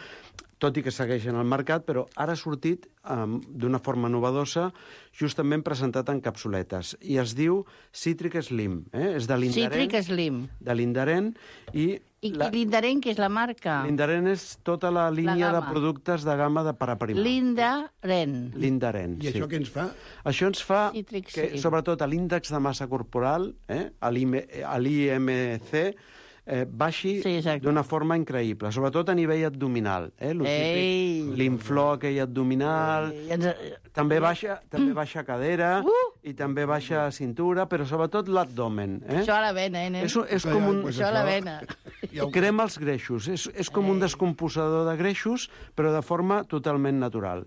Speaker 8: tot i que segueixen al mercat, però ara ha sortit d'una forma novedosa, justament presentat en capsuletes. I es diu Citric Slim. És de l'Indaren.
Speaker 7: Citric Slim.
Speaker 8: De l'Indaren. I
Speaker 7: l'Indaren, que és la marca?
Speaker 8: L'Indaren és tota la línia de productes de gamma per a primar. L'Indaren,
Speaker 6: I això què ens fa?
Speaker 8: Això ens fa que, sobretot, l'índex de massa corporal, a l'IMC, baixi d'una forma increïble, sobretot a nivell abdominal. L'infló aquell abdominal, també baixa cadera i també baixa cintura, però sobretot l'abdomen.
Speaker 7: Això a la vena, nen?
Speaker 8: És com un...
Speaker 7: Això a la vena.
Speaker 8: Crema els greixos. És com un descomposador de greixos, però de forma totalment natural.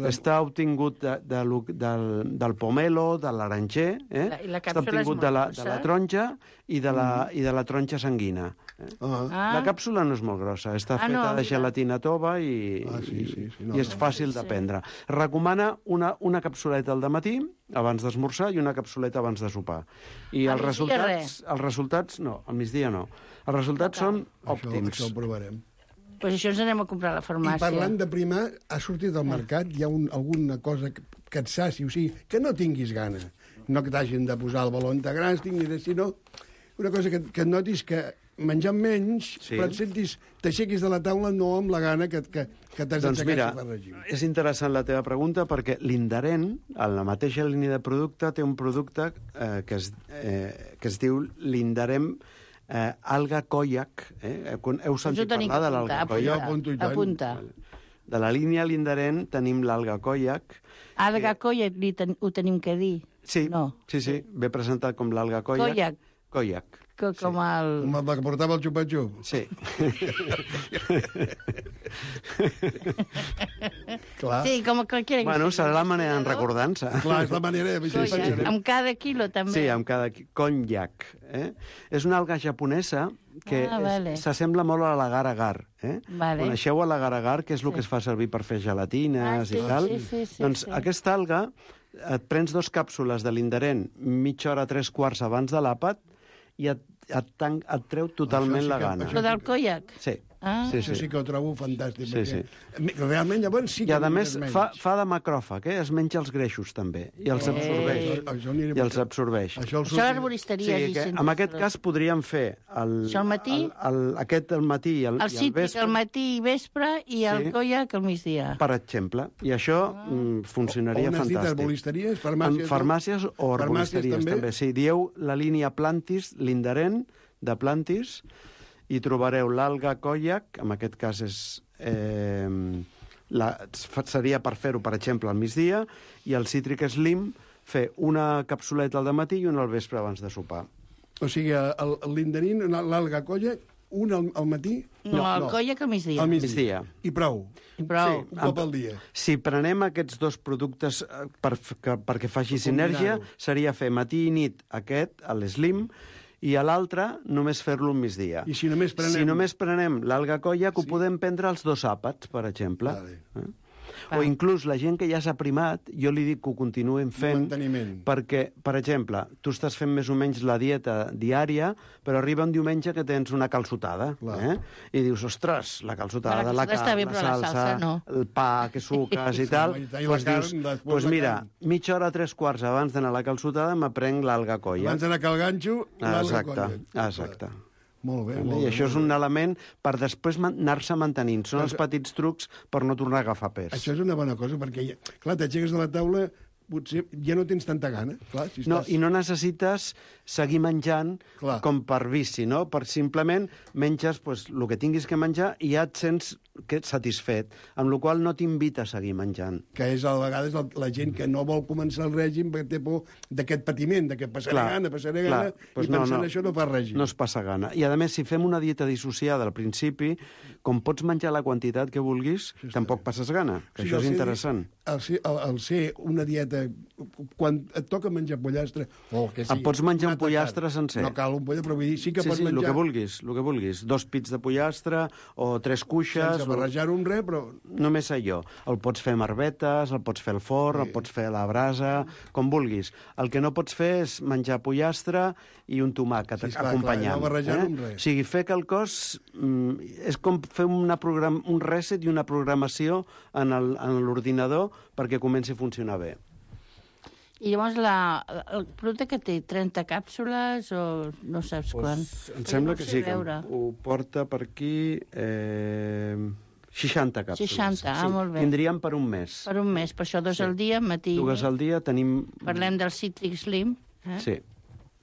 Speaker 8: Està obtingut del pomelo, de l'aranger, està obtingut de la taronja i de la taronja sanguina. La càpsula no és molt grossa, està feta de gelatina tova i és fàcil de prendre. Recomana una capsuleta al dematí, abans d'esmorzar, i una capsuleta abans de sopar. I els resultats, no, al migdia no. Els resultats són òptims.
Speaker 6: Això ho provarem.
Speaker 7: Doncs això ens anem a comprar a la farmàcia.
Speaker 6: I parlant de primar, ha sortit al mercat, hi ha alguna cosa que et saci, o sigui, que no tinguis gana. No que t'hagin de posar el baló grans, sinó una cosa que notis que menjant menys, però et sentis, t'aixequis de la taula no amb la gana que t'has d'aixecar per règim.
Speaker 8: És interessant la teva pregunta perquè l'Indaren, a la mateixa línia de producte, té un producte que es diu l'Indaren alga koyak. Heu sentit parlar de l'alga koyak?
Speaker 7: Apunta.
Speaker 8: De la línia l'Indaren tenim l'alga koyak.
Speaker 7: Alga koyak ho tenim que dir?
Speaker 8: Sí, ve presentat com l'alga koyak. Koyak.
Speaker 7: Com el...
Speaker 6: Com el que portava el xupa-xup.
Speaker 8: Sí.
Speaker 6: Clar.
Speaker 7: Sí, com qualsevol.
Speaker 8: Bueno, serà la manera en recordant-se.
Speaker 6: Clar, és la manera de...
Speaker 7: Amb cada quilo, també.
Speaker 8: Sí, amb cada konyak. És una alga japonesa que s'assembla molt a l'agar-agar. Coneixeu a l'agar-agar, que és el que es fa servir per fer gelatines i tal? Doncs aquesta alga, et prens 2 càpsules de l'Indaren mitja hora, 3/4 abans de l'àpat, i et treu totalment la gana.
Speaker 7: Això del koyak?
Speaker 8: Sí.
Speaker 6: Això sí que ho trobo fantàstic. Realment, llavors sí que...
Speaker 8: I a més fa de macròfag, es menja els greixos també, i els absorbeix.
Speaker 7: Això a l'arboristeria.
Speaker 8: En aquest cas podríem fer aquest al matí i al vespre.
Speaker 7: El cítric al matí i vespre i el koyak al migdia.
Speaker 8: Per exemple. I això funcionaria fantàstic.
Speaker 6: On has dit arboristeries?
Speaker 8: Farmàcies o arboristeries també. Sí, dieu la línia Plantis, l'Indaren de Plantis, i trobareu l'alga koyak, en aquest cas seria per fer-ho, per exemple, al migdia, i el Citric Slim, fer una capsuleta al dematí i una al vespre abans de sopar.
Speaker 6: O sigui, l'Indarin, l'alga koyak, una al matí...
Speaker 7: No, el koyak al migdia.
Speaker 6: Al migdia. I prou.
Speaker 7: Sí,
Speaker 6: un cop al dia.
Speaker 8: Si prenem aquests 2 productes perquè faci sinergia, seria fer matí i nit aquest, l'Slim, i a l'altre només fer-lo un migdia.
Speaker 6: I si només prenem...
Speaker 8: Si només prenem l'alga koyak, ho podem prendre els 2 àpats, per exemple. O inclús la gent que ja s'ha primat, jo li dic que ho continuem fent, perquè, per exemple, tu estàs fent més o menys la dieta diària, però arriba un diumenge que tens una calçotada, i dius, ostres, la calçotada, la carn, la salsa, el pa que suques i tal, doncs dius, doncs mira, mitja hora, 3/4 abans d'anar a la calçotada m'aprenc l'alga colla.
Speaker 6: Abans d'anar a cal ganxo, l'alga colla.
Speaker 8: Exacte.
Speaker 6: Molt bé,
Speaker 8: I això és un element per després anar-se mantenint. Són els petits trucs per no tornar a agafar pes.
Speaker 6: Això és una bona cosa, perquè, clar, t'aixeques de la taula, potser ja no tens tanta gana. Clar, si
Speaker 8: no, i no necessites seguir menjant com per vici, no? Per simplement menges el que tinguis que menjar i ja et sents satisfet, amb la qual no t'invita a seguir menjant.
Speaker 6: Que és a vegades la gent que no vol començar el règim perquè té por d'aquest patiment, que passaré gana, i pensant això no fa règim.
Speaker 8: No es passa gana. I a més, si fem una dieta dissociada al principi, com pots menjar la quantitat que vulguis, tampoc passes gana, que això és interessant.
Speaker 6: Al ser una dieta, quan et toca menjar pollastre, o que sí...
Speaker 8: Et pots menjar un pollastre sencer.
Speaker 6: No cal un pollastre, però vull dir, sí que pots menjar...
Speaker 8: el que vulguis. 2 pits de pollastre o 3 cuixes...
Speaker 6: Sense barrejar-ho amb res, però...
Speaker 8: Només allò. El pots fer amb arbetes, el pots fer al forn, el pots fer a la brasa, com vulguis. El que no pots fer és menjar pollastre i un tomàquet acompanyant.
Speaker 6: No barrejar-ho amb res.
Speaker 8: O sigui, fer quelcòs és com fer un reset i una programació en l'ordinador perquè comenci a funcionar bé.
Speaker 7: I llavors el producte que té 30 càpsules o no saps quan?
Speaker 8: Em sembla que sí, que ho porta per aquí 60 càpsules.
Speaker 7: 60, molt bé.
Speaker 8: Tindríem per un mes.
Speaker 7: Per un mes, per això 2 al dia, matí.
Speaker 8: 2 al dia tenim...
Speaker 7: Parlem del Citric Slim.
Speaker 8: Sí.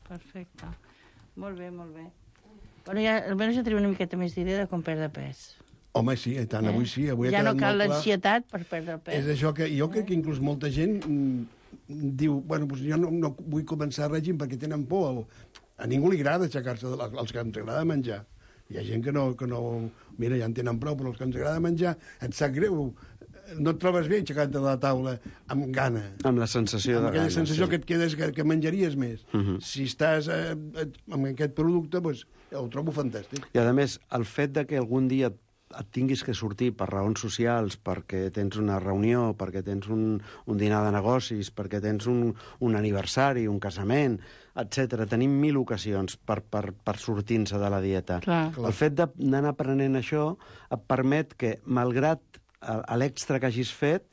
Speaker 7: Perfecte. Molt bé, molt bé. Bueno, almenys ja tenim una miqueta més d'idea de com perdre pes.
Speaker 6: Home, sí, tant, avui sí.
Speaker 7: Ja no cal l'ansietat per perdre el pes.
Speaker 6: És això que jo crec que inclús molta gent diu, bueno, doncs jo no vull començar règim perquè tenen por. A ningú li agrada aixecar-se, als que ens agrada menjar. Hi ha gent que no... Mira, ja en tenen prou, però els que ens agrada menjar et sap greu. No et trobes bé aixecant-te de la taula amb gana.
Speaker 8: Amb la sensació de gana.
Speaker 6: Amb aquella sensació que et quedes que menjaries més. Si estàs amb aquest producte, doncs ho trobo fantàstic.
Speaker 8: I, a més, el fet de que algun dia et tinguis que sortir per raons socials, perquè tens una reunió, perquè tens un dinar de negocis, perquè tens un aniversari, un casament, etc. Tenim 1000 ocasions per sortir-se de la dieta. El fet d'anar aprenent això et permet que, malgrat l'extra que hagis fet,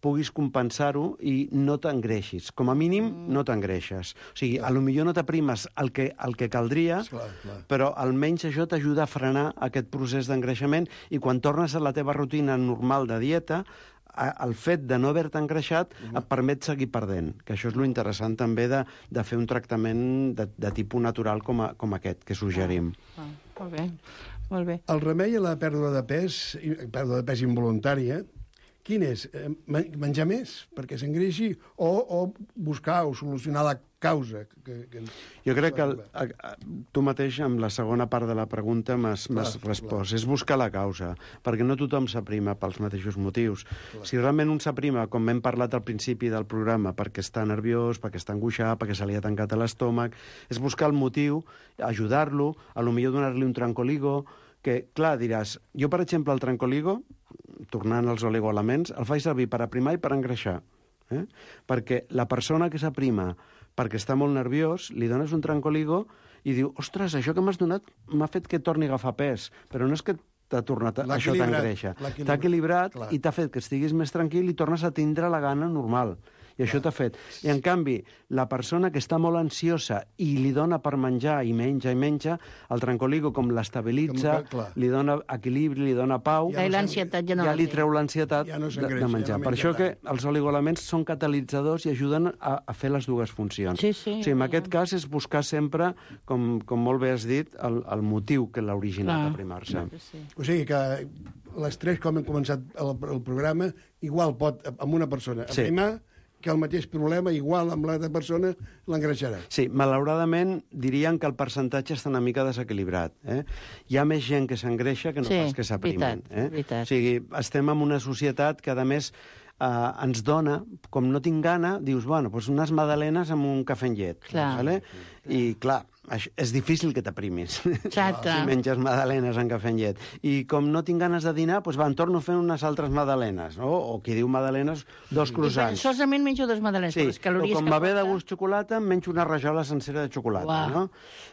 Speaker 8: puguis compensar-ho i no t'engreixis. Com a mínim, no t'engreixes. O sigui, potser no t'aprimes el que caldria, però almenys això t'ajuda a frenar aquest procés d'engreixament i quan tornes a la teva rutina normal de dieta, el fet de no haver-te engreixat et permet seguir perdent, que això és lo interessant també de fer un tractament de tipus natural com aquest, que suggerim.
Speaker 7: Molt bé, molt bé.
Speaker 6: El remei a la pèrdua de pes involuntària, quin és? Menjar més perquè s'engreixi o buscar o solucionar la causa?
Speaker 8: Jo crec que tu mateix, amb la segona part de la pregunta, m'has respost. És buscar la causa, perquè no tothom s'aprima pels mateixos motius. Si realment un s'aprima, com hem parlat al principi del programa, perquè està nerviós, perquè està angoixat, perquè se li ha tancat a l'estómac, és buscar el motiu, ajudar-lo, potser donar-li un trancoligo, que, clar, diràs, jo, per exemple, el trancoligo, tornant als oligoelements, el faig servir per aprimar i per engreixar. Perquè la persona que s'aprima perquè està molt nerviós, li dones un trancoligo i diu, ostres, això que m'has donat m'ha fet que torni a agafar pes, però no és que t'ha tornat, això t'engreixa. T'ha equilibrat i t'ha fet que estiguis més tranquil i tornes a tindre la gana normal. I això t'ha fet. I, en canvi, la persona que està molt ansiosa i li dona per menjar i menja, el trancoligo com l'estabilitza, li dona equilibri, li dona pau,
Speaker 7: ja
Speaker 8: li treu l'ansietat de menjar. Per això que els oligoelements són catalitzadors i ajuden a fer les dues funcions. O sigui, en aquest cas és buscar sempre, com molt bé has dit, el motiu que l'ha originat a aprimar-se.
Speaker 6: O sigui que l'estrès, com hem començat el programa, igual pot, amb una persona, aprimar que el mateix problema, igual amb l'altra persona, l'engreixarà.
Speaker 8: Sí, malauradament diríem que el percentatge està una mica desequilibrat. Hi ha més gent que s'engreixa que no pas que s'aprimen. O sigui, estem en una societat que, a més, ens dona, com no tinc gana, dius, bueno, doncs unes magdalenes amb un cafè amb llet. I, clar, és difícil que t'aprimis.
Speaker 7: Exacte.
Speaker 8: Si menges magdalenes en cafè amb llet. I com no tinc ganes de dinar, doncs em torno fent unes altres magdalenes, no? O qui diu magdalenes, 2 croissants.
Speaker 7: Solament menjo 2 magdalenes,
Speaker 8: sí,
Speaker 7: per les calories
Speaker 8: o com
Speaker 7: que
Speaker 8: va bé de
Speaker 7: porta.
Speaker 8: gust xocolata, em menjo una rajola sencera de xocolata, no?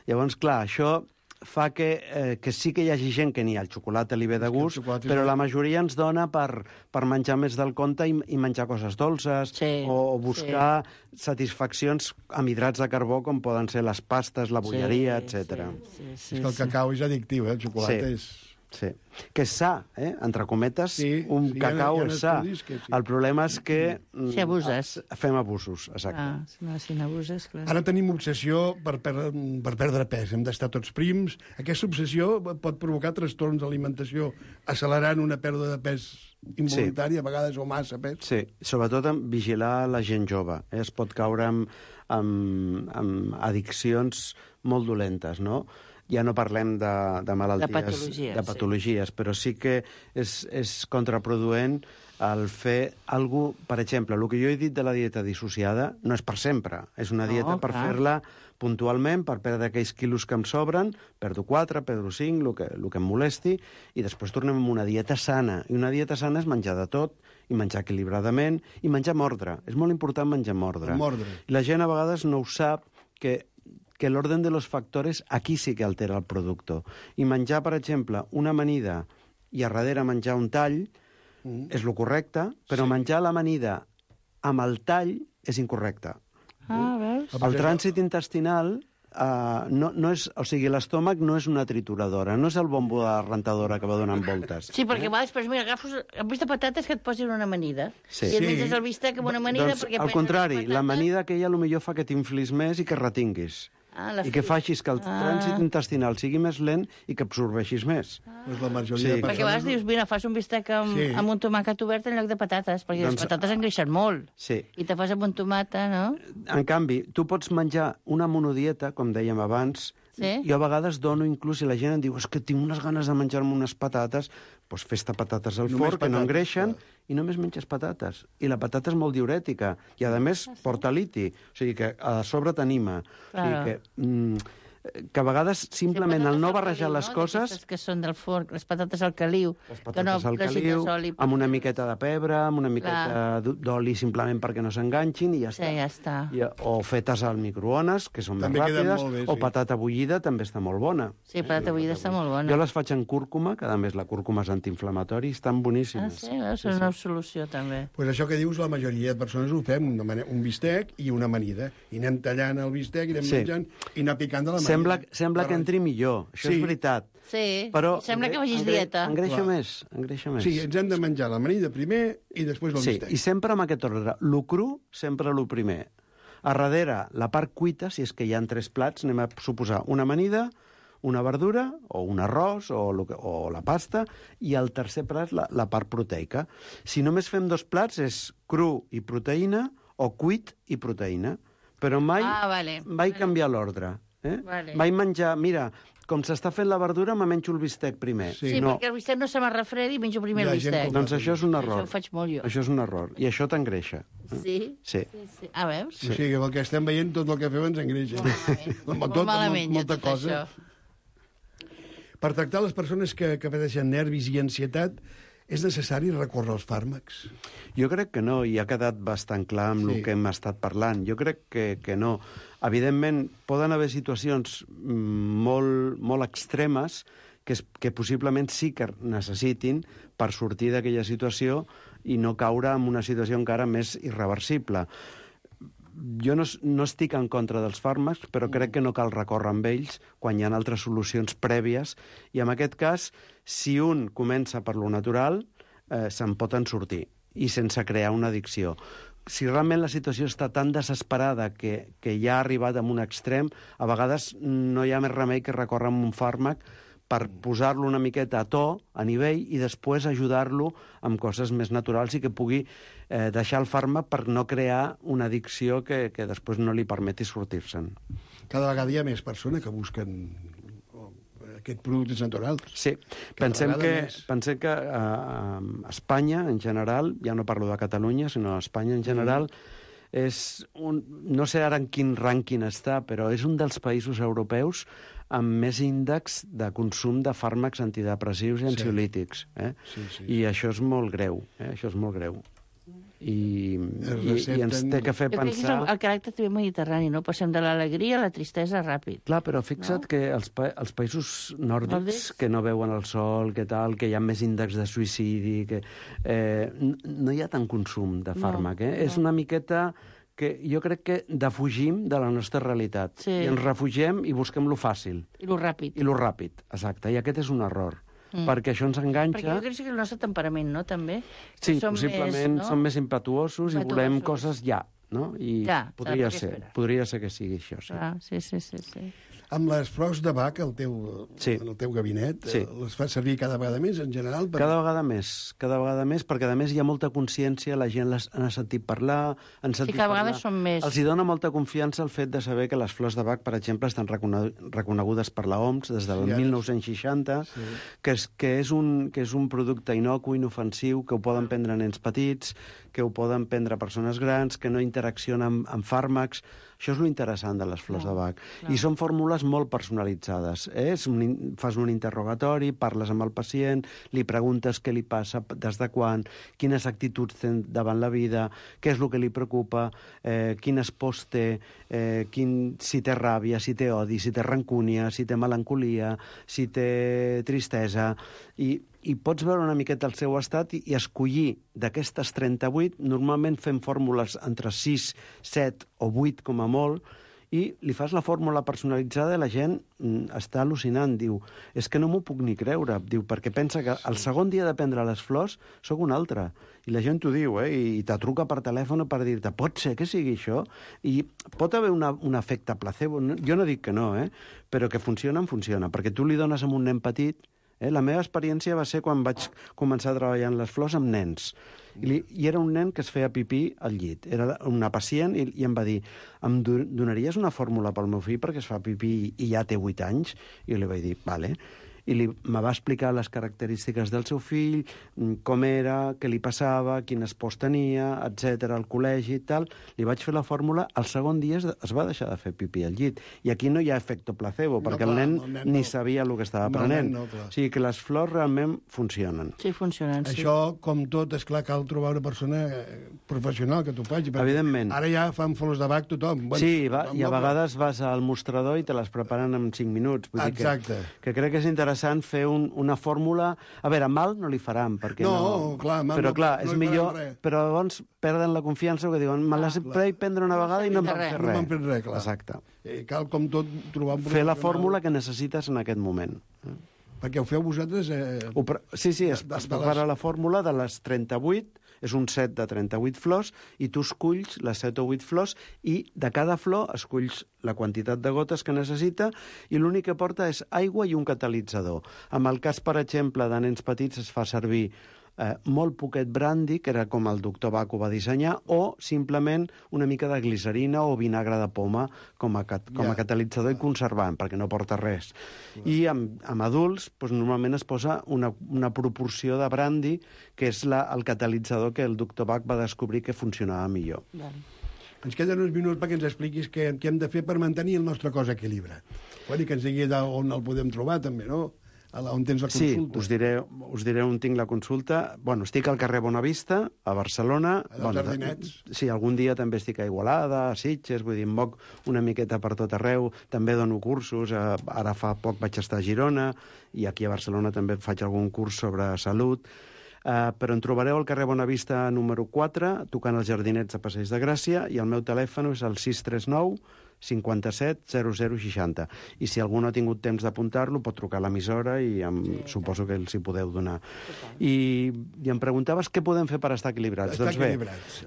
Speaker 8: Llavors, clar, això fa que sí que hi hagi gent que n'hi ha el xocolata li ve de gust, però la majoria ens dona per menjar més del compte i menjar coses dolces, o buscar satisfaccions amb hidrats de carbó com poden ser les pastes, la bolleria, etc.
Speaker 6: És que el cacau és addictiu, el xocolata és...
Speaker 8: Sí, que és sa, entre cometes, un cacau és sa. El problema és que
Speaker 7: si abuses.
Speaker 8: Fem abusos, exacte.
Speaker 7: Si n'abuses, clar.
Speaker 6: Ara tenim obsessió per perdre pes, hem d'estar tots prims. Aquesta obsessió pot provocar trastorns d'alimentació, accelerant una pèrdua de pes involuntària, a vegades, o massa pes.
Speaker 8: Sí, sobretot vigilar la gent jove. Es pot caure amb addiccions molt dolentes, no? Ja no parlem de malalties, de patologies, però sí que és contraproduent el fer alguna cosa... Per exemple, el que jo he dit de la dieta dissociada no és per sempre. És una dieta per fer-la puntualment, per perdre aquells quilos que em sobren, perdo 4, perdo 5, el que em molesti, i després tornem a una dieta sana. I una dieta sana és menjar de tot, i menjar equilibradament, i menjar amb ordre. És molt important menjar amb ordre. I la gent a vegades no ho sap, que l'orden de los factores aquí sí que altera el producte. I menjar, per exemple, una amanida i a darrere menjar un tall és lo correcte, però menjar l'amanida amb el tall és incorrecte.
Speaker 7: Veus?
Speaker 8: El trànsit intestinal no és... O sigui, l'estómac no és una trituradora, no és el bombo de la rentadora que va donant voltes.
Speaker 7: Sí, perquè va després, mira, agafes el bistec de patates que et posin una amanida. I et menges el bistec amb una amanida...
Speaker 8: Doncs, al contrari, l'amanida aquella potser fa que t'inflis més i que retinguis. I que facis que el trànsit intestinal sigui més lent i que absorbeixis més.
Speaker 6: La majoria de persones...
Speaker 7: Perquè a vegades dius, mira, fas un bistec amb un tomàquet obert en lloc de patates, perquè les patates engreixen molt. I te fas amb un tomata, no?
Speaker 8: En canvi, tu pots menjar una monodieta, com dèiem abans. Jo a vegades dono, inclús, si la gent em diu que tinc unes ganes de menjar-me unes patates, doncs fes-te patates al forn, que no engreixen, i només menges patates. I la patata és molt diurètica, i a més porta liti, o sigui que a sobre t'anima. O sigui que a vegades simplement el no barrejar les coses...
Speaker 7: Que són del forn, les patates al caliu.
Speaker 8: Les patates al caliu, amb una miqueta de pebre, amb una miqueta d'oli simplement perquè no s'enganxin i ja està. O fetes al microones, que són més ràpides, o patata bullida també està molt bona.
Speaker 7: Sí, patata bullida està molt bona.
Speaker 8: Jo les faig en cúrcuma, que a més la cúrcuma és antiinflamatori, estan boníssimes.
Speaker 7: És una solució també.
Speaker 6: Doncs això que dius, la majoria de persones ho fem, un bistec i una amanida. I anem tallant el bistec, i anem menjant, i anar picant de la manida.
Speaker 8: Sembla que entri millor, això és veritat.
Speaker 7: Sí, sembla que vagis dieta.
Speaker 8: Engreixa més.
Speaker 6: Sí, ens hem de menjar l'amanida primer i després el bistec.
Speaker 8: Sí, i sempre amb aquest ordre. Lo cru, sempre lo primer. A darrere, la part cuita, si és que hi ha 3 plats, anem a suposar una amanida, una verdura, o un arròs, o la pasta, i el tercer plat, la part proteica. Si només fem 2 plats, és cru i proteïna, o cuit i proteïna. Però mai canviar l'ordre. Mai menjar... Mira, com s'està fent la verdura, me menjo el bistec primer.
Speaker 7: Sí, perquè el bistec no se m'arrefredi i menjo primer el bistec.
Speaker 8: Doncs això és un error.
Speaker 7: Això ho faig molt jo.
Speaker 8: Això és un error. I això t'engreixa.
Speaker 7: Sí? Sí. Veus?
Speaker 6: O sigui, el que estem veient, tot el que fem ens engreixa.
Speaker 7: Molt malament,
Speaker 6: molta cosa. Per tractar les persones que pateixen nervis i ansietat, és necessari recórrer als fàrmacs?
Speaker 8: Jo crec que no, i ha quedat bastant clar amb el que hem estat parlant. Jo crec que no. Evidentment, poden haver situacions molt extremes que possiblement sí que necessitin per sortir d'aquella situació i no caure en una situació encara més irreversible. Jo no estic en contra dels fàrmacs, però crec que no cal recórrer amb ells quan hi ha altres solucions prèvies. I en aquest cas, si un comença per lo natural, se'n pot en sortir, i sense crear una addicció. Si realment la situació està tan desesperada que ja ha arribat a un extrem, a vegades no hi ha més remei que recórrer amb un fàrmac per posar-lo una miqueta a to, a nivell, i després ajudar-lo amb coses més naturals i que pugui deixar el fàrmac per no crear una addicció que després no li permeti sortir-se'n.
Speaker 6: Cada vegada hi ha més persones que busquen aquests productes naturals.
Speaker 8: Sí, pensem que a Espanya, en general, ja no parlo de Catalunya, sinó a Espanya en general, no sé ara en quin rànquing està, però és un dels països europeus amb més índex de consum de fàrmacs antidepressius i ansiolítics. I això és molt greu. Això és molt greu. I ens té que fer pensar...
Speaker 7: Jo crec que és el caràcter també mediterrani, no? Passem de l'alegria a la tristesa ràpid.
Speaker 8: Clar, però fixa't que els països nòrdics que no veuen el sol, que hi ha més índex de suïcidi, no hi ha tant consum de fàrmac. És una miqueta que jo crec que defugim de la nostra realitat. I ens refugiem i busquem lo fàcil.
Speaker 7: I lo ràpid.
Speaker 8: I lo ràpid, exacte. I aquest és un error. Perquè això ens enganxa...
Speaker 7: Perquè jo crec que és el nostre temperament, no?, també.
Speaker 8: Sí, possiblement som més impetuosos i volem coses ja, no? I podria ser que sigui això, sí.
Speaker 7: Sí.
Speaker 6: Amb les flors de Bach, en el teu gabinet, les fas servir cada vegada més, en general?
Speaker 8: Cada vegada més, perquè a més hi ha molta consciència, la gent les ha sentit parlar,
Speaker 7: cada vegada són més.
Speaker 8: Els hi dona molta confiança el fet de saber que les flors de Bach, per exemple, estan reconegudes per l'OMS des del 1960, que és un producte innocu, inofensiu, que ho poden prendre nens petits, que ho poden prendre persones grans, que no interaccionen amb fàrmacs. Això és lo interessant de les flors de Bach. I són fórmules molt personalitzades. Fas un interrogatori, parles amb el pacient, li preguntes què li passa, des de quan, quines actituds té davant la vida, què és el que li preocupa, quines pors té, si té ràbia, si té odi, si té rancúnia, si té melancolia, si té tristesa... I pots veure una miqueta el seu estat i escollir d'aquestes 38, normalment fem fórmules entre 6, 7 o 8 com a molt, i li fas la fórmula personalitzada i la gent està al·lucinant. Diu, és que no m'ho puc ni creure, diu, perquè pensa que el segon dia de prendre les flors sóc un altre. I la gent t'ho diu, i te truca per telèfon per dir-te, pot ser que sigui això? I pot haver un efecte placebo. Jo no dic que no, però que funciona, perquè tu li dones a un nen petit. La meva experiència va ser quan vaig començar a treballar en les flors amb nens. I era un nen que es feia pipí al llit. Era una pacient i em va dir, em donaries una fórmula pel meu fill perquè es fa pipí i ja té 8 anys? I jo li vaig dir, vale. I me va explicar les característiques del seu fill, com era, què li passava, quines pors tenia, etc, al col·legi i tal. Li vaig fer la fórmula, el segon dia es va deixar de fer pipí al llit. I aquí no hi ha efecte placebo, perquè el nen ni sabia el que estava prenent. O sigui que les flors realment funcionen.
Speaker 7: Sí, funcionen, sí.
Speaker 6: Això, com tot, és clar, cal trobar una persona professional que t'ho faci.
Speaker 8: Evidentment.
Speaker 6: Ara ja fan flors de Bach tothom.
Speaker 8: Sí, i a vegades vas al mostrador i te les preparen en 5 minuts.
Speaker 6: Exacte.
Speaker 8: Que crec que és interessant fer una fórmula... A veure, mal no li faran, perquè
Speaker 6: no... Clar,
Speaker 8: però clar, és millor... Però llavors perden la confiança, que diuen, me les vaig prendre una vegada i no em van fer res.
Speaker 6: No m'han fet res, clar.
Speaker 8: Exacte.
Speaker 6: Cal, com tot, trobar un
Speaker 8: fer la fórmula que necessites en aquest moment.
Speaker 6: Perquè ho feu vosaltres...
Speaker 8: Sí, es prepara la fórmula de les 38, és un set de 38 flors, i tu esculls les 7 o 8 flors, i de cada flor esculls la quantitat de gotes que necessita, i l'únic que porta és aigua i un catalitzador. En el cas, per exemple, de nens petits es fa servir molt poquet brandy, que era com el doctor Bach ho va dissenyar, o simplement una mica de glicerina o vinagre de poma com a catalitzador i conservant, perquè no porta res. I amb adults, normalment es posa una proporció de brandy, que és el catalitzador que el doctor Bach va descobrir que funcionava millor.
Speaker 6: Ens queden uns minuts perquè ens expliquis què hem de fer per mantenir el nostre cos equilibrat. I que ens digui on el podem trobar, també, no? On tens la consulta.
Speaker 8: Sí, us diré on tinc la consulta. Estic al carrer Bonavista, a Barcelona.
Speaker 6: Als Jardinets.
Speaker 8: Sí, algun dia també estic a Igualada, a Sitges, vull dir, em moc una miqueta per tot arreu. També dono cursos, ara fa poc vaig estar a Girona, i aquí a Barcelona també faig algun curs sobre salut. Però em trobareu al carrer Bonavista número 4, tocant els Jardinets de Passeig de Gràcia, i el meu telèfon és el 639 57 0060. I si algú no ha tingut temps d'apuntar-lo, pot trucar a l'emissora i suposo que els hi podeu donar. I em preguntaves què podem fer per estar equilibrats.
Speaker 6: Estar equilibrats.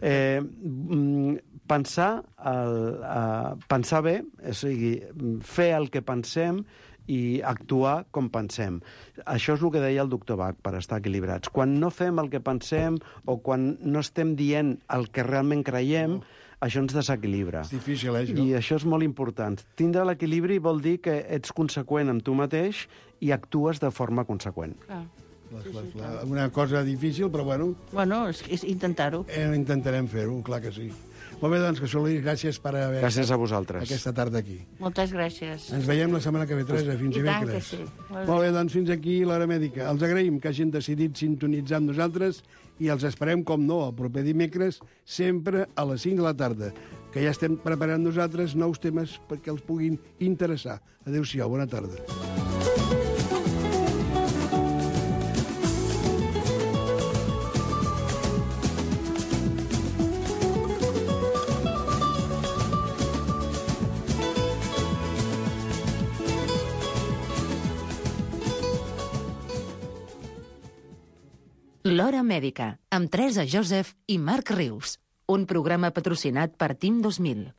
Speaker 8: Pensar bé, o sigui, fer el que pensem i actuar com pensem. Això és el que deia el doctor Bach, per estar equilibrats. Quan no fem el que pensem o quan no estem dient el que realment creiem, això ens desequilibra.
Speaker 6: És difícil, això.
Speaker 8: I això és molt important. Tindre l'equilibri vol dir que ets conseqüent amb tu mateix i actues de forma conseqüent.
Speaker 6: Una cosa difícil, però bueno...
Speaker 7: Bueno, és intentar-ho.
Speaker 6: Intentarem fer-ho, clar que sí. Molt bé, doncs, que Solís, gràcies per haver...
Speaker 8: Gràcies a vosaltres.
Speaker 6: Aquesta tarda aquí.
Speaker 7: Moltes gràcies.
Speaker 6: Ens veiem la setmana que ve, Teresa, fins dimecres.
Speaker 7: I tant que sí.
Speaker 6: Molt bé, doncs fins aquí l'Hora Mèdica. Els agraïm que hagin decidit sintonitzar amb nosaltres i els esperem, com no, el proper dimecres, sempre a les 5 de la tarda, que ja estem preparant nosaltres nous temes perquè els puguin interessar. Adéu-siau, bona tarda.
Speaker 5: L'Hora Mèdica, amb Teresa Joseph i Marc Rius. Un programa patrocinat per Team 2000.